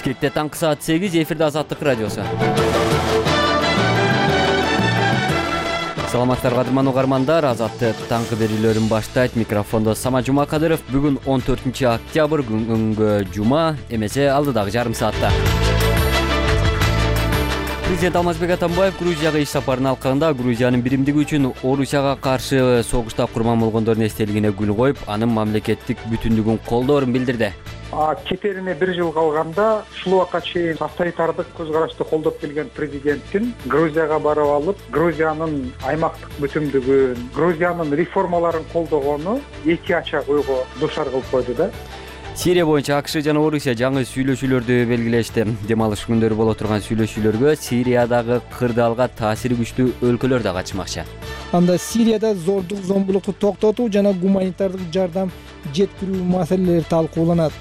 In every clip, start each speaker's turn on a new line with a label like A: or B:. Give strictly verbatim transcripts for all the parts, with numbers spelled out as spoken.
A: Бишкекте таңкы саат сегиз, эфирде Азаттык радиосу. Саламаттарга кадырман угармандар, Азаттык таңкы берүүлөрүн баштайт. Микрофондо Сама Жумакадыров. Бүгүн он төртүнчү октябрь, күнгө жума, эмесе алдыдагы жарым саатта. Президент Алмазбек Атамбаев Грузияга иш сапарынын алкагында Грузиянын биримдиги үчүн Орусияга каршы согушта курман болгондордун эстелигине гүл коюп, анын мамлекеттик бүтүндүгүн колдоорун билдирди.
B: Кетерине бир жыл калганда ушул убакка чейин авторитардык көз карашты колдоп келген президенттин Грузияга барып алып, Грузиянын аймактык бүтүндүгүн, Грузиянын реформаларын колдогону эки ачак ойго дуушар кылып койду да.
A: Сирия боюнча АКШ жана Орусия жаңы сүйлөшүүлөрдү белгилешти. Дем алыш күндөрү боло турган сүйлөшүүлөргө Сириядагы кырдаалга таасири күчтүү өлкөлөр да катышмакчы.
C: Анда Сирияда зордук зомбулукту токтотуу жана гуманитардык жардам жеткирүү маселелери талкууланат.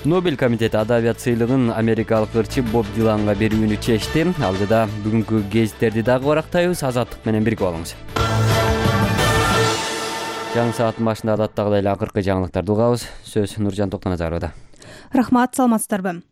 A: Нобель комитети адабият сыйлыгын америкалык ырчы Боб Диланга берүүнү чечти. Алдыда бүгүнкү гезиттерди дагы барактайбыз. Азаттык менен бирге болуңуз. Жаңы сааттын башында адаттагыдай эле акыркы жаңылыктарды угабыз. Сөз Нуржан Токтоназаровда.
D: Рахмат, саламатсыздарбы?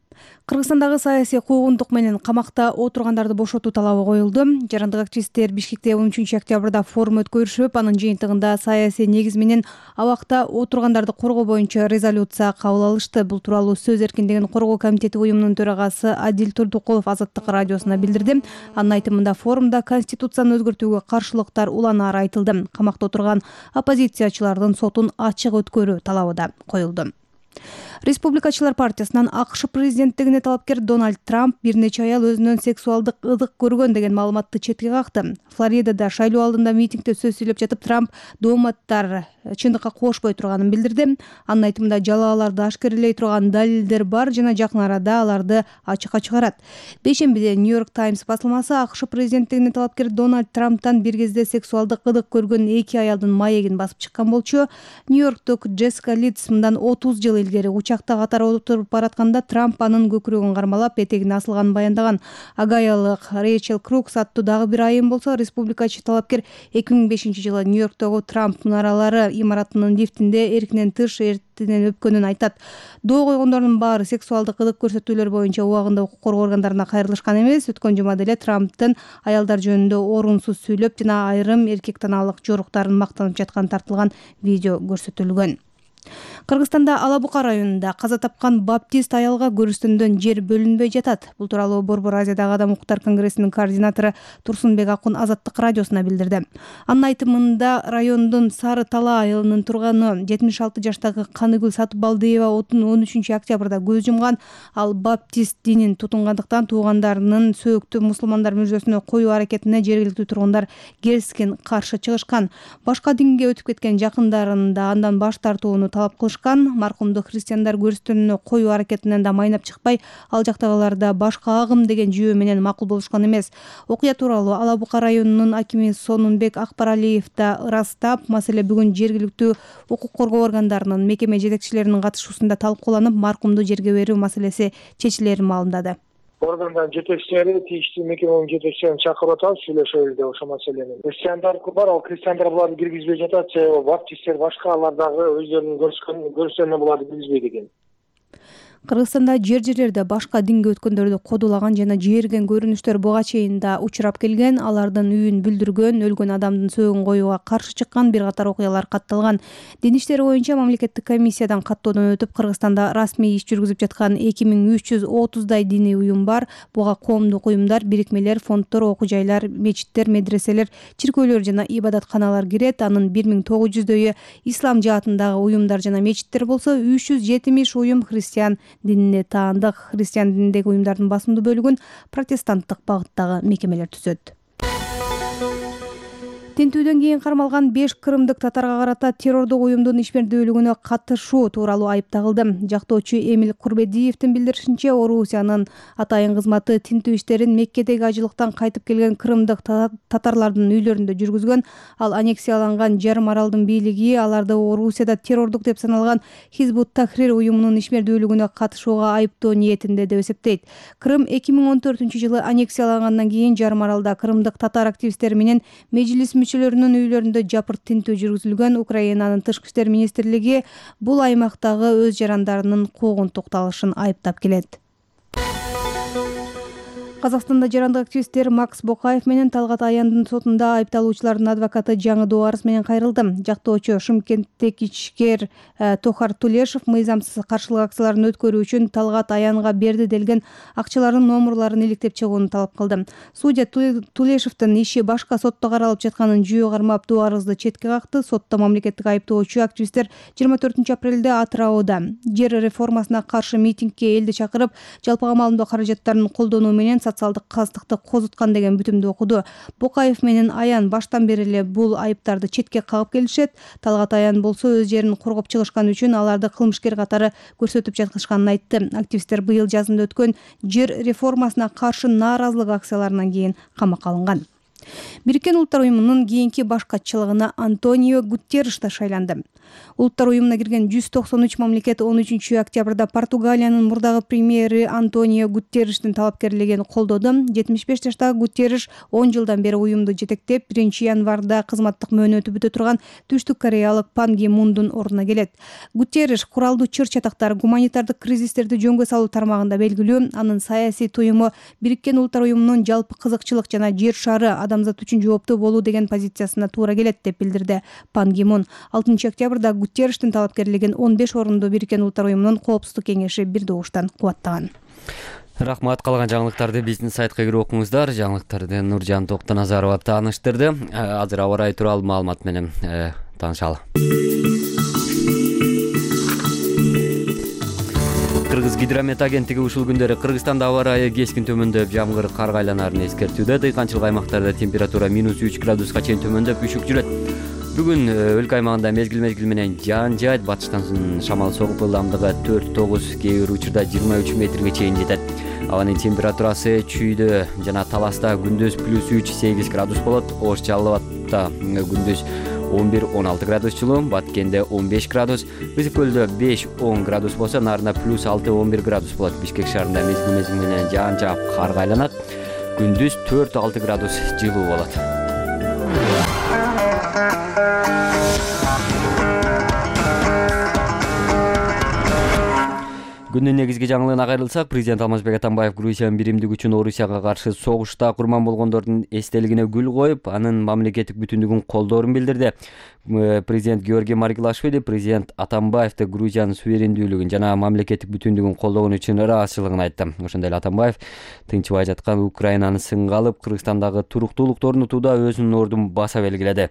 D: Кыргызстандагы саясий куугунтук менен камакта отургандарды бошотуу талабы коюлду. Жарандык активисттер Бишкекте он үчүнчү октябрда форум өткөрүшүп, анын жыйынтыгында саясий негиз менен абакта отургандарды коргоо боюнча резолюция кабыл алышты. Бул тууралуу Сөз эркиндигин коргоо комитети уюмунун төрагасы Адил Турдукулов Азаттык радиосуна билдирди. Анын айтымында форумда конституцияны өзгөртүүгө каршылыктар уланары айтылды. Камакта отурган оппозициячылардын сотун ачык өткөрүү талабы да коюлду. Республикачылар партиясынан АКШ президенттигине талапкер Дональд Трамп бир нече аял өзүнөн сексуалдык ыдык көргөн деген маалыматты четке какты. Флоридада шайлоо алдында митингде сөз сүйлөп жатып Трамп дооматтар чындыкка кошпой турганын билдирди. Анын айтымында жалааларды ашкерелей турган далилдер бар жана жакын арада аларды ачыкка чыгарат. Бейшембиде Нью-Йорк Таймс басылмасы АКШ президенттигине талапкер Дональд Трамптан бир кезде сексуалдык ыдык көргөн эки аялдын маегин басып чыккан болчу. Нью-Йорктук Джессика Лидс мындан отуз жыл илгери учакта катары отуруп баратканда Трамп анын көкүрөгүн кармалап, этегине асылганын баяндаган. Агаялык Рейчел Крукс аттуу дагы бир айым болсо, республикачы талапкер эки миң бешинчи жылы Нью-Йорктогу Трамп мунаралары имаратынын лифтинде эркинен тыш эртинен өпкөнүн айтат. Доо койгондордун баары сексуалдык ыдык көрсөтүүлөр боюнча убагында укук коргоо органдарына кайрылышкан эмес. Өткөн жумада эле Трамптын аялдар жөнүндө орунсуз сүйлөп жана айрым эркек танаалык жоруктарын мактанып жатканы тартылган видео көрсөтүлгөн. Кыргызстанда Ала Бука районунда каза тапкан баптист аялга көрүстөндөн жер бөлүнбөй жатат. Бул тууралуу Борбор Азиядагы Адам укуктар конгрессинин координатору Турсунбек Акун Азаттык радиосуна билдирди. Анын айтымында райондун Сары Тала айылынын турганы жетимиш алты жаштагы Каныгүл Сатыбалдиева он үчүнчү октябрда көз жумган. Ал баптист динин тутунгандыктан туугандарынын сөөктү мусулмандар мүрзөсүнө коюу аракетине жергиликтүү тургундар келискен каршы чыгышкан. Башка динге өтүп кеткен жакындарын да андан баш тартууну талап кылышкан. Маркумду христиандар көрүстөнүнө коюу аракетинен да майнап чыкпай, ал жактагылар да башка агым деген жүйө менен макул болушкан эмес. Окуя тууралуу Ала Бука районунун акими Сонунбек Акбаралиев да ырастап, маселе бүгүн жергиликтүү укук коргоо органдарынын мекеме жетекчилеринин катышуусунда талкууланып, маркумду жерге берүү маселеси чечилерин маалымдады.
B: Органдардын жетекчилери, тийиштүү мекеменин жетекчилерин чакырып атабыз, сүйлөшөлү деп ошол маселени. Христиандар бар, ал христиандар буларды киргизбей жатат, же баптисттер башка алар дагы өздөрүнүн көрүшкөн көрүштерине буларды киргизбейт экен.
D: Кыргызстанда жер-жерлерде башка динге өткөндөрдү кодулаган жана жээрген көрүнүштөр буга чейин да учурап келген. Алардын үйүн бүлдүргөн, өлгөн адамдын сөөгүн коюуга каршы чыккан бир катар окуялар катталган. Дин иштери боюнча мамлекеттик комиссиядан каттоодон өтүп, Кыргызстанда расмий иш жүргүзүп жаткан эки миң үч жүз отуздай диний уюм бар. Буга коомдук уюмдар, бирикмелер, фонддор, окуу жайлар, мечиттер, медреселер, чиркөөлөр жана ибадатканалар кирет. Анын бир миң тогуз жүздөйү ислам жаатындагы уюмдар жана мечиттер болсо, үч жүз жетимиш уюм христиан динине таандык. Христиан дининдеги уюмдардын басымдуу бөлүгүн протестанттык багыттагы мекемелер түзөт. Тинтүүдөн кийин кармалган беш кырымдык татарга карата террордук уюмдун ишмердүүлүгүнө катышуу тууралуу айып тагылды. Жактоочу Эмил Курбедиевдин билдиришинче, Орусиянын атайын кызматы тинтүү иштерин Меккедеги ажылыктан кайтып келген кырымдык татарлардын үйлөрүндө жүргүзгөн. Ал аннексияланган жарым аралдын бийлиги аларды Орусияда террордук деп саналган Хизбут Тахрир уюмунун ишмердүүлүгүнө катышууга айыптоо ниетинде деп эсептейт. Крым эки миң он төртүнчү жылы аннексиялангандан кийин жарым аралда кырымдык татар активисттери менен межлис мүчөлөрүнүн үйлөрүндө жапырт тинтүү жүргүзүлгөн. Украинанын тышкы иштер министрлиги бул аймактагы өз жарандарынын куугунтукталышын айыптап келет. Казакстанда жарандык активисттер Макс Бокаев менен Талгат Аяндын сотунда айыпталуучулардын адвокаты жаңы арыз менен кайрылды. Жактоочу Шымкенттеги ичкер Тохар Тулешев мыйзамсыз каршылык акцияларын өткөрүү үчүн Талгат Аянга берди делген акчалардын номурларын иликтеп чыгууну талап кылды. Судья Тулешевдин иши башка сотто каралып жатканын жүйө кармап доо арызды четке какты. Сотто мамлекеттик айыптоочу активисттер жыйырма төртүнчү апрелде Атырауда жер реформасына каршы митингге элди чакырып, жалпыга маалымдоо каражаттарын колдонуу менен социалдык кастыкты козуткан деген бүтүмдү окуду. Бокаев менен Аян баштан бери эле бул айыптарды четке кагып келишет. Талгат Аян болсо өз жерин коргоп чыгышкан үчүн аларды кылмышкер катары көрсөтүп жаткышканын айтты. Активисттер быйыл жазында өткөн жер реформасына каршы нааразылык акцияларынан кийин камакка алынган. Бириккен Улуттар уюмунун кийинки баш катчылыгына Антонио Гутерриш шайланды. Улуттар уюмуна кирген жүз токсон үч мамлекет он үчүнчү октябрда Португалиянын мурдагы премьери Антонио Гутерриштин талапкерлигин колдоду. жетимиш беш жаштагы Гутерриш он жылдан бери уюмду жетектеп, биринчи январда кызматтык мөөнөтү бүтө турган Түштүк Кореялык Пан Ги Мундун ордуна келет. Гутерриш куралдуу чыр-чатактар, гуманитардык кризистерди жөнгө салуу тармагында белгилүү. Анын саясий туюму Бириккен Улуттар уюмунун жалпы кызыкчылык жана жер шары адамзат үчүн жооптуу болуу деген позициясына туура келет деп билдирди Пан Ги Мун. алтынчы октябрда Гутерриштин талапкерлигин он беш орунду Бириккен Улуттар уюмунун коопсуздук кеңеши бир добуштан кубаттаган.
A: Рахмат. Калган жаңылыктарды биздин сайтка кирип окуңуздар. Жаңылыктарды Нуржан Токтоназарова тааныштырды. Азыр аба ырайы тууралуу маалымат менен таанышалы. Кыргыз гидромет агенттиги ушул күндөрү Кыргызстанда аба ырайы кескин төмөндөп, жамгыр карга айланарын эскертүүдө. Дыйканчылык аймактарда температура минус үч градуска чейин төмөндөп, үшүк жүрөт. Бүгүн өлкө аймагында мезгил-мезгил менен жаан жаайт. Батыштан шамал согуп, ылдамдыгы төрт тогуз, кээ бир учурда жыйырма үч метрге чейин жетет. Абанын температурасы Чүйдө жана Таласта күндүз плюс үч сегиз градус болот. Ош Жалал Абадта күндүз он бир он алты градус жылуу, Баткенде он беш градус, Ысык көлдө беш он градус болсо, Нарында плюс алты он бир градус болот. Бишкек шаарында мезгил-мезгил менен жаан жаап карга айланат. Күндүз төрт алты градус жылуу болот. Күндүн негизги жаңылыгына кайрылсак, президент Алмазбек Атамбаев Грузиянын биримдиги үчүн Орусияга каршы согушта курман болгондордун эстелигине гүл коюп, анын мамлекеттик бүтүндүгүн колдоорун билдирди. Президент Георгий Маргилашвили президент Атамбаевди Грузиянын суверендүүлүгүн жана мамлекеттик бүтүндүгүн колдогон үчүн ыраазычылыгын айтты. Ошондой эле Атамбаев тынчыбай жаткан Украинаны сынга алып, Кыргызстандагы туруктуулукту орнотууда өзүнүн ордун баса белгиледи.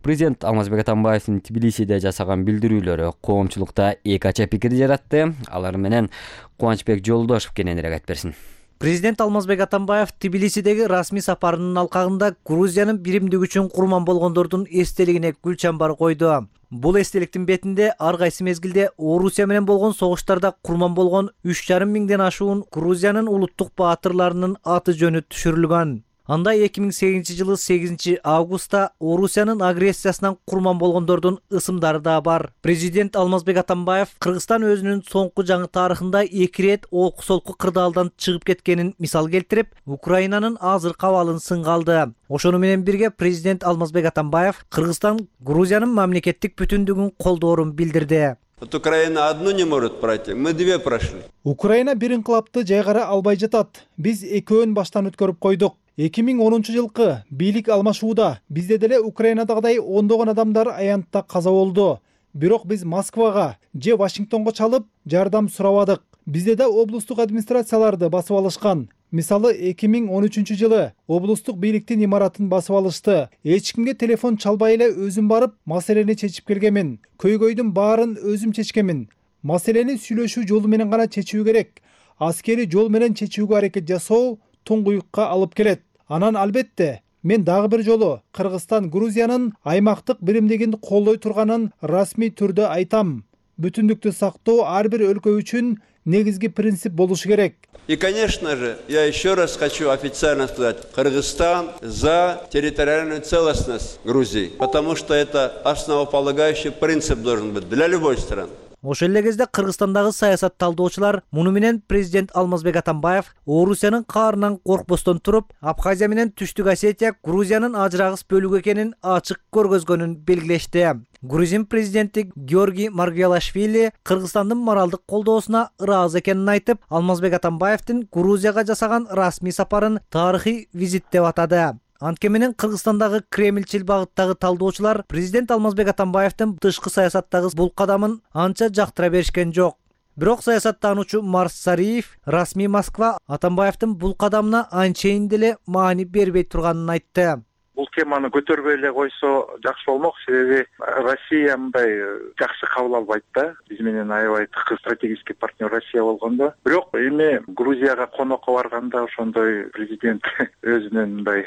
A: Президент Алмазбек Атамбаевдин Тбилисиде жасаган билдирүүлөрү коомчулукта эки ача пикир жаратты. Алар менен Кубанычбек Жолдошев кененирээк айтып берсин.
E: Президент Алмазбек Атамбаев Тбилисидеги расмий сапарынын алкагында Грузиянын биримдиги үчүн курман болгондордун эстелигине гүл чамбар койду. Бул эстеликтин бетинде ар кайсы мезгилде Орусия менен болгон согуштарда курман болгон үч жарым миңден ашуун Грузиянын улуттук баатырларынын аты жөнү түшүрүлгөн. Анда эки миң сегизинчи жылы сегизинчи августта Орусиянын агрессиясынан курман болгондордун ысымдары да бар. Президент Алмазбек Атамбаев Кыргызстан өзүнүн соңку жаңы тарыхында эки рет олку-солку кырдаалдан чыгып кеткенин мисал келтирип, Украинанын азыркы абалын сынга алды. Ошону менен бирге президент Алмазбек Атамбаев Кыргызстан Грузиянын мамлекеттик бүтүндүгүн колдоорун билдирди.
F: Вот Украина одну не может пройти, мы две прошли.
C: Украина бир инкылапты жайгара албай жатат. Биз экөөнүн баштан өткөрүп койдук. эки миң онунчу жылкы бийлик алмашууда бизде деле Украинадагыдай ондогон адамдар аянтта каза болду. Бирок биз Москвага же Вашингтонго чалып жардам сурабадык. Бизде да облустук администрацияларды басып алышкан. Мисалы эки миң он үчүнчү жылы облустук бийликтин имаратын басып алышты. Эч кимге телефон чалбай эле өзүм барып маселени чечип келгенмин. Көйгөйдүн баарын өзүм чечкенмин. Маселени сүйлөшүү жолу менен гана чечүү керек. Аскери жол менен чечүүгө аракет жасоо туңгуюкка алып келет. Анан албетте мен дагы бир жолу Кыргызстан Грузиянын аймактык биримдигин колдой турганын расмий түрдө айтам. Бүтүндүктү сактоо ар бир өлкө үчүн негизги принцип болушу керек.
F: И, конечно же, я еще раз хочу официально сказать, Кыргызстан за территориальную целостность Грузии, потому что это основополагающий принцип должен быть для любой страны.
E: Ошол эле кезде Кыргызстандагы саясат талдоочулар муну менен президент Алмазбек Атамбаев Орусиянын каарынан коркпостон туруп, Абхазия менен Түштүк Осетия Грузиянын ажырагыс бөлүгү экенин ачык көргөзгөнүн белгилешти. Грузин президенти Георгий Маргвелашвили Кыргызстандын моралдык колдоосуна ыраазы экенин айтып, Алмазбек Атамбаевдин Грузияга жасаган расмий сапарын тарыхый визит деп атады. Анткени менен Кыргызстандагы кремльчил багыттагы талдоочулар президент Алмазбек Атамбаевдин тышкы саясаттагы бул кадамын анча жактыра беришкен жок. Бирок саясаттануучу Марс Сариев расмий Москва Атамбаевдин бул кадамына анчейин деле маани бербей турганын айтты.
B: Бул теманы көтөрбөй эле койсо жакшы болмок, себеби Россия мындай жакшы кабыл албайт да. Биз менен аябай тыкыз стратегический партнер Россия болгондо. Бирок эми Грузияга конокко барганда ошондой президент өзүнүн мындай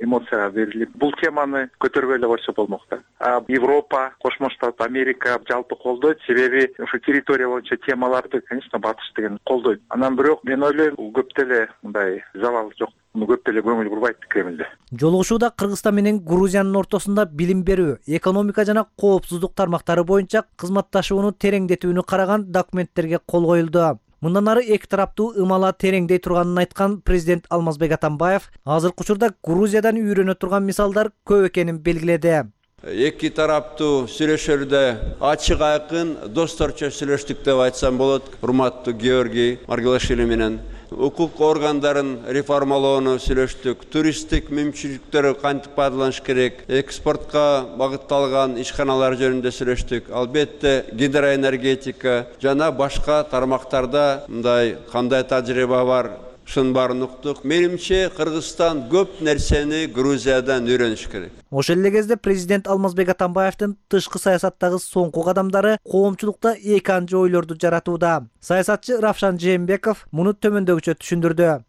B: эмоцияга берилип, бул теманы көтөрбөй эле койсо болмок да. А Европа, Кошмо Штат, Америка жалпы колдойт, себеби ошо территория боюнча темаларды, конечно, батыш деген колдойт. Анан бирок мен ойлойм, көп деле мындай завал жок. Муну көп деле көңүл бурбайт Кремлде.
E: Жолугушууда Кыргызстан менен Грузиянын ортосунда билим берүү, экономика жана коопсуздук тармактары боюнча кызматташууну тереңдетүүнү караган документтерге кол коюлду. Мындан ары эки тараптуу ымала тереңдей турганын айткан президент Алмазбек Атамбаев азыркы учурда Грузиядан үйрөнө турган мисалдар көп экенин белгиледи.
F: Эки тараптуу сүйлөшүүлөрдө ачык айкын досторчо сүйлөштүк деп айтсам болот. Урматтуу Георгий Маргвелашвили менен укук органдарын реформалоону сүйлөштүк, туристтик мүмкүнчүлүктөрү кантип пайдаланыш керек, экспортко багытталган ишканалар жөнүндө сүйлөштүк. Албетте гидроэнергетика жана башка тармактарда мындай кандай тажрыйба бар, ушунун баарын уктук. Менимче Кыргызстан көп нерсени Грузиядан үйрөнүш керек.
E: Ошол эле кезде президент Алмазбек Атамбаевдин тышкы саясаттагы соңку кадамдары коомчулукта эки анча ойлорду жаратууда. Саясатчы Равшан Жээнбеков муну төмөндөгүчө түшүндүрдү.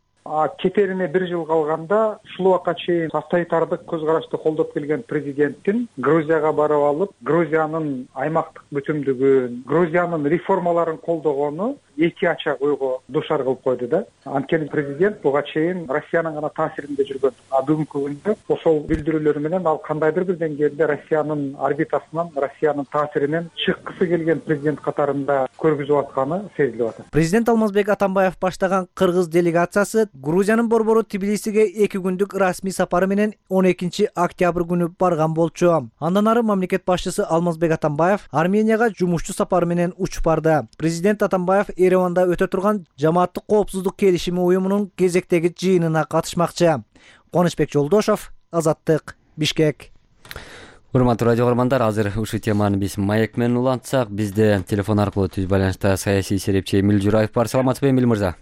B: Кетерине бир жыл калганда ушул убакка чейин авторитардык көз карашты колдоп келген президенттин Грузияга барып алып, Грузиянын аймактык бүтүмдүгүн, Грузиянын реформаларын колдогону эки ачак ойго душар кылып койду да. Анткени президент буга чейин Россиянын гана таасиринде жүргөн. А бүгүнкү күндө ошол билдирүүлөр менен ал кандайдыр бир деңгээлде Россиянын орбитасынан, Россиянын таасиринен чыккысы келген президент катарында көргүзүп атканы сезилип атат.
E: Президент Алмазбек Атамбаев баштаган кыргыз делегациясы Грузиянын борбору Тбилисиге эки күндүк расмий сапары менен он экинчи октябрь күнү барган болчу. Андан ары мамлекет башчысы Алмазбек Атамбаев Арменияга жумушчу сапары менен учуп барды. Президент Атамбаев Ереванда өтө турган Жамааттык коопсуздук келишими уюмунун кезектеги жыйынына катышмакчы. Конучбек Жолдошов, Азаттык, Бишкек.
A: Урматтуу радио көрөрмандар, азыр ушул теманы биз маек менен улантсак, бизде телефон аркылуу түз байланышта саясий серепчи Эмил Жураев бар. Саламатсызбы, Эмил мырза?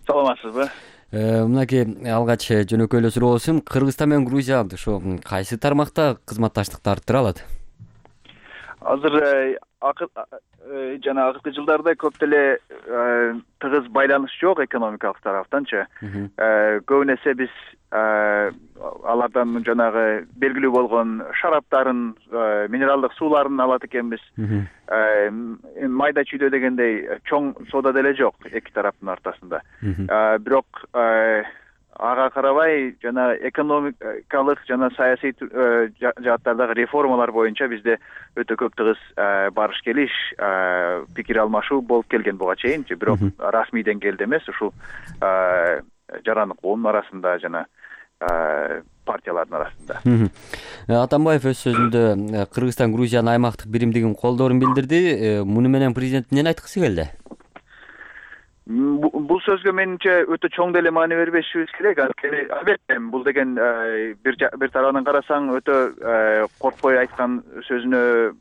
G: Саламатсызбы.
A: Мынакей алгач жөнөкөй эле суроо болсун. Кыргызстан менен Грузия ошо кайсы тармакта кызматташтыкты арттыра алат?
G: Азыр жана акыркы жылдарда көп деле тыгыз байланыш жок экономикалык тараптанчы. Көбүн эсе биз алардан жанагы белгилүү болгон шараптарын, минералдык сууларын алат экенбиз. Майда чүйдө дегендей чоң соода деле жок эки тараптын ортосунда. Бирок ага карабай жана экономикалык жана саясий жааттардагы реформалар боюнча бизде өтө көп тыгыз барыш келиш, пикир алмашуу болуп келген буга чейинчи. Бирок расмий деңгээлде эмес, ушул жарандык коомдун арасында жана партиялардын арасында.
A: Атамбаев өз сөзүндө Кыргызстан Грузиянын аймактык биримдигин колдоорун билдирди. Муну менен президент эмнени айткысы келди?
G: Бул сөзгө менимче өтө чоң деле маани бербешибиз керек. Анткени албетте бул деген бир бир тарабынан карасаң өтө коркпой айткан сөзүнө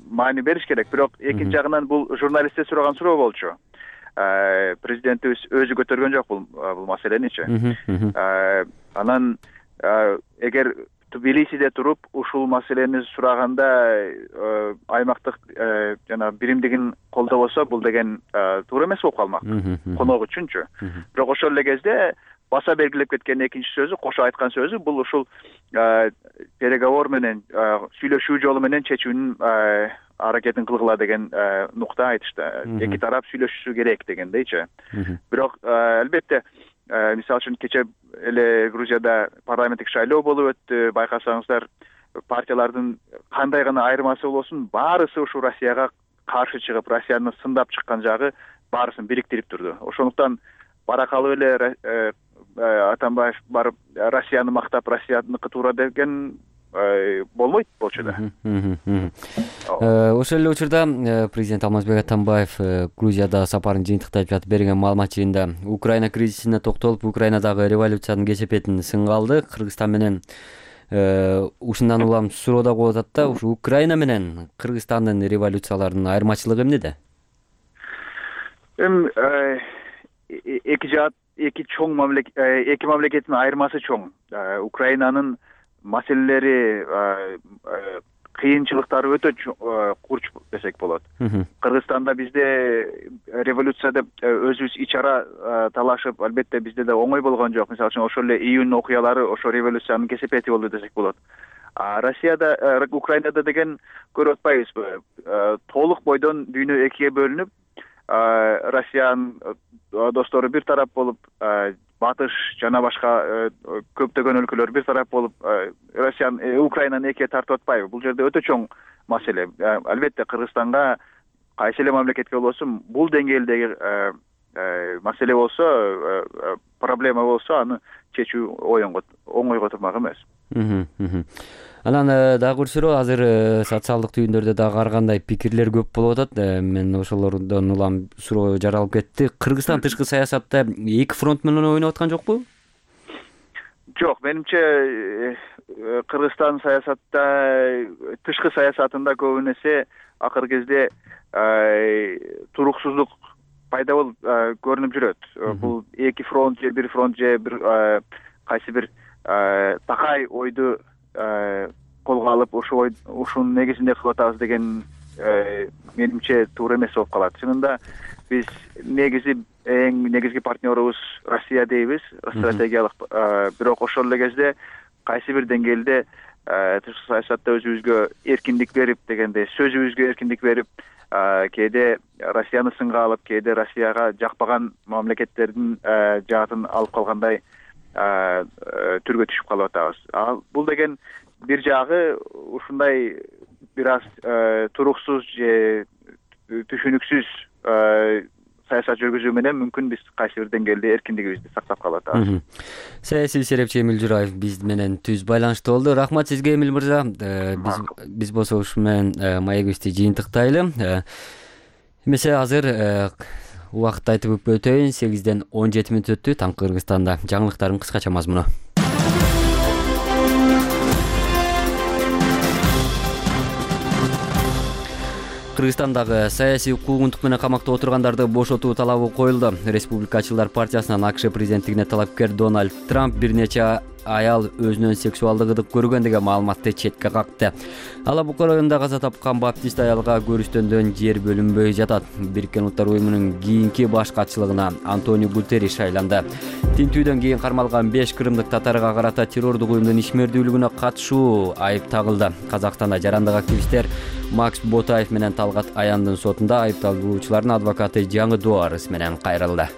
G: маани бериш керек. Бирок экинчи жагынан бул журналистте сураган суроо болчу. Президентибиз өзү көтөргөн жок бул бул маселеничи. Анан эгер Тбилисиде туруп ушул маселени сураганда аймактык жана биримдигин колдобосо, бул деген туура эмес болуп калмак конок үчүнчү. Бирок ошол эле кезде баса белгилеп кеткен экинчи сөзү, кошо айткан сөзү, бул ушул переговор менен, сүйлөшүү жолу менен чечүүнүн аракетин кылгыла деген нукта айтышты. Эки тарап сүйлөшүшү керек дегендейчи. Бирок албетте мисалы үчүн кече эле Грузияда парламенттик шайлоо болуп өттү. Байкасаңыздар, партиялардын кандай гана айырмасы болосун, баарысы ушу Россияга каршы чыгып Россияны сындап чыккан жагы баарысын бириктирип турду. Ошондуктан бара калып эле Атамбаев барып Россияны мактап, Россияныкы туура деген болбойт болчу да.
A: Ошол эле учурда президент Алмазбек Атамбаев Грузияда сапарын жыйынтыктап жатып берген маалымат жыйында Украина кризисине токтолуп, Украинадагы революциянын кесепетин сынга алды. Кыргызстан менен ушундан улам суроо да коюп атат да, ушу Украина менен Кыргызстандын революцияларынын айырмачылыгы эмнеде?
G: Эми эки жаат эки чоң мамлекет, эки мамлекеттин айырмасы чоң. Украинанын маселелери, кыйынчылыктары өтө курч десек болот. Кыргызстанда бизде революция деп өзүбүз ич ара талашып, албетте бизде да оңой болгон жок. Мисалы үчүн ошол эле июнь окуялары ошо революциянын кесепети болду десек болот. А Россияда, Украинада деген көрүп атпайбызбы? Толук бойдон дүйнө экиге бөлүнүп, Россиянын достору бир тарап болуп, батыш жана башка көптөгөн өлкөлөр бир тарап болуп, Россияны, Украинаны экиге тартып атпайбы? Бул жерде өтө чоң маселе. Албетте Кыргызстанга кайсы эле мамлекетке болсун, бул деңгээлдеги маселе болсо, проблема болсо, аны чечүү оңойго турмак эмес.
A: Анан дагы бир суроо, азыр социалдык түйүндөрдө дагы ар кандай пикирлер көп болуп атат. Мен ошолордон улам суроо жаралып кетти. Кыргызстан тышкы саясатта эки фронт менен ойноп аткан жокпу?
G: Жок, менимче Кыргызстан саясатта, тышкы саясатында көбүн эсе акыркы кезде туруксуздук пайда болуп көрүнүп жүрөт. Бул эки фронт же бир фронт же бир кайсы бир такай ойду колго алып, ошо ушунун негизинде кылып атабыз деген менимче туура эмес болуп калат. Чынында биз негизи эң негизги партнерубуз Россия дейбиз, стратегиялык, бирок ошол эле кезде кайсы бир деңгээлде тышкы саясатта өзүбүзгө эркиндик берип дегенде, сөзүбүзгө эркиндик берип, кээде Россияны сынга алып, кээде Россияга жакпаган мамлекеттердин жаатын алып калгандай түргө түшүп калып атабыз. Ал бул деген бир жагы ушундай бир аз туруксуз же түшүнүксүз саясат жүргүзүү менен мүмкүн биз кайсы бир деңгээлде эркиндигибизди сактап калып атабыз.
A: Саясий серепчи Эмил Жураев биз менен түз байланышта болду. Рахмат сизге, Эмил мырза. Биз биз болсо ушу менен маегибизди жыйынтыктайлы. Эмесе азыр убакытты айтып өтөйүн. сегизден он жети мүнөт өттү. Таңкы Кыргызстанда жаңылыктардын кыскача мазмуну. Кыргызстандагы саясий куугунтук менен камакта отургандарды бошотуу талабы коюлду. Республикачылар партиясынан АКШ президенттигине талапкер Дональд Трамп бир нече аял өзүнөн сексуалдык ыдык көргөн деген маалыматты четке какты. Алабука районунда каза тапкан баптист аялга көрүстөндөн жер бөлүнбөй жатат. Бириккен Улуттар уюмунун кийинки баш катчылыгына Антонио Гутерриш шайланды. Тинтүүдөн кийин кармалган беш кырымдык татарга карата террордук уюмдун ишмердүүлүгүнө катышуу айып тагылды. Казакстанда жарандык активисттер Макс Ботаев менен Талгат Аяндын сотунда айыпталуучулардын адвокаты жаңы доо арыз менен кайрылды.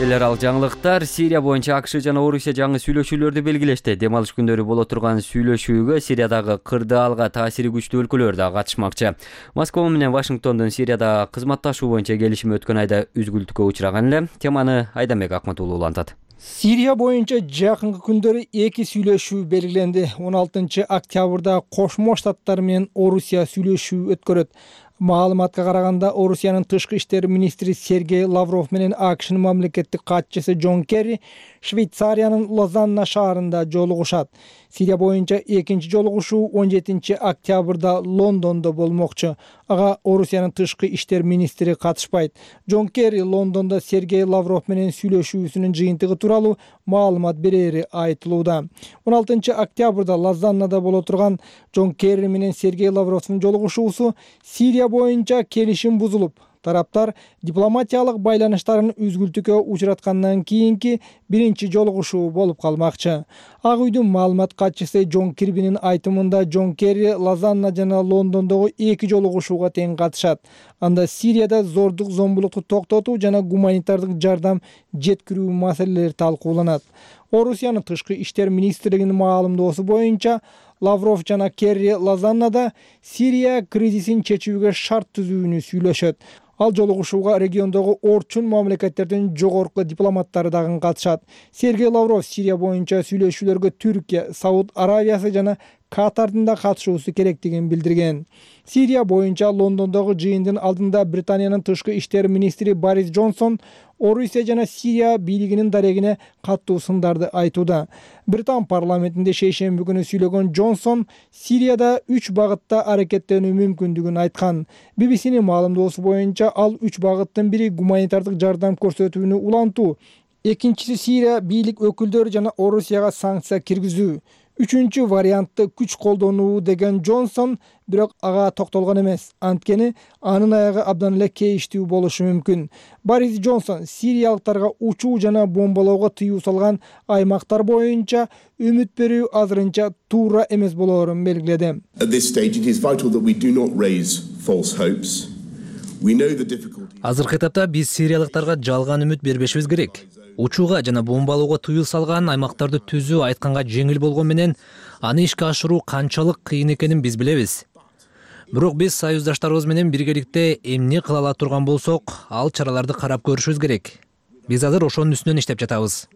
A: Эл аралык жаңылыктар. Сирия боюнча АКШ жана Орусия жаңы сүйлөшүүлөрдү белгилешти. Дем алыш күндөрү боло турган сүйлөшүүгө Сириядагы кырдаалга таасири күчтүү өлкөлөр да катышмакчы. Москва менен Вашингтондун Сирияда кызматташуу боюнча келишим өткөн айда үзгүлтүккө учураган эле. Теманы Айданбек Акматуулу улантат.
C: Сирия боюнча жакынкы күндөрү эки сүйлөшүү белгиленди. он алтынчы октябрда Кошмо Штаттар менен Орусия сүйлөшүү өткөрөт. Маалыматка караганда, Орусиянын тышкы иштер министри Сергей Лавров менен АКШнын мамлекеттик катчысы Джон Керри Швейцариянын Лозанна шаарында жолугушат. Сирия боюнча экинчи жолугушуу он жетинчи октябрда Лондондо болмокчу. Ага Орусиянын тышкы иштер министри катышпайт. Джон Керри Лондондо Сергей Лавров менен сүйлөшүүсүнүн жыйынтыгы тууралуу маалымат берери айтылууда. он алтынчы октябрда Лозаннада боло турган Джон Керри менен Сергей Лавровдун жолугушуусу Сирия боюнча келишим бузулуп, тараптар дипломатиялык байланыштарын үзгүлтүккө учураткандан кийинки биринчи жолугушуу болуп калмакчы. Ак үйдүн маалымат катчысы Джон Кирбинин айтымында Джон Керри Лозанна жана Лондондогу эки жолугушууга тең катышат. Анда Сирияда зордук зомбулукту токтотуу жана гуманитардык жардам жеткирүү маселелери талкууланат. Орусиянын тышкы иштер министрлигинин маалымдоосу боюнча, Лавров жана Керри Лозаннада Сирия кризисин чечүүгө шарт түзүүнү сүйлөшөт. Ал жолугушууга региондогу орчун мамлекеттердин жогорку дипломаттары дагы катышат. Сергей Лавров Сирия боюнча сүйлөшүүлөргө Түркия, Сауд Аравиясы жана Катардын да катышуусу керектигин билдирген. Сирия боюнча Лондондогу жыйындын алдында Британиянын тышкы иштер министри Борис Джонсон Орусия жана Сирия бийлигинин дарегине каттуу сындарды айтууда. Британ парламентинде шейшемби күнү сүйлөгөн Джонсон Сирияда үч багытта аракеттенүү мүмкүндүгүн айткан. би би синин маалымдоосу боюнча ал үч багыттын бири гуманитардык жардам көрсөтүүнү улантуу, экинчиси Сирия бийлик өкүлдөрү жана Орусияга санкция киргизүү, үчүнчү вариантты күч колдонуу деген Джонсон, бирок ага токтолгон эмес. Анткени анын аягы абдан эле кейиштүү болушу мүмкүн. Борис Джонсон сириялыктарга учуу жана бомбалоого тыюу салган аймактар боюнча үмүт берүү азырынча туура эмес болоорун белгиледи.
H: Азыркы этапта биз сириялыктарга жалган үмүт бербешибиз керек. Учууга жана бомбалоого тыюу салган аймактарды түзүү айтканга жеңил болгон менен аны ишке ашыруу канчалык кыйын экенин биз билебиз. Бирок биз союздаштарыбыз менен биргеликте эмне кыла ала турган болсок, ал чараларды карап көрүшүбүз керек. Биз азыр ошонун үстүнөн иштеп жатабыз.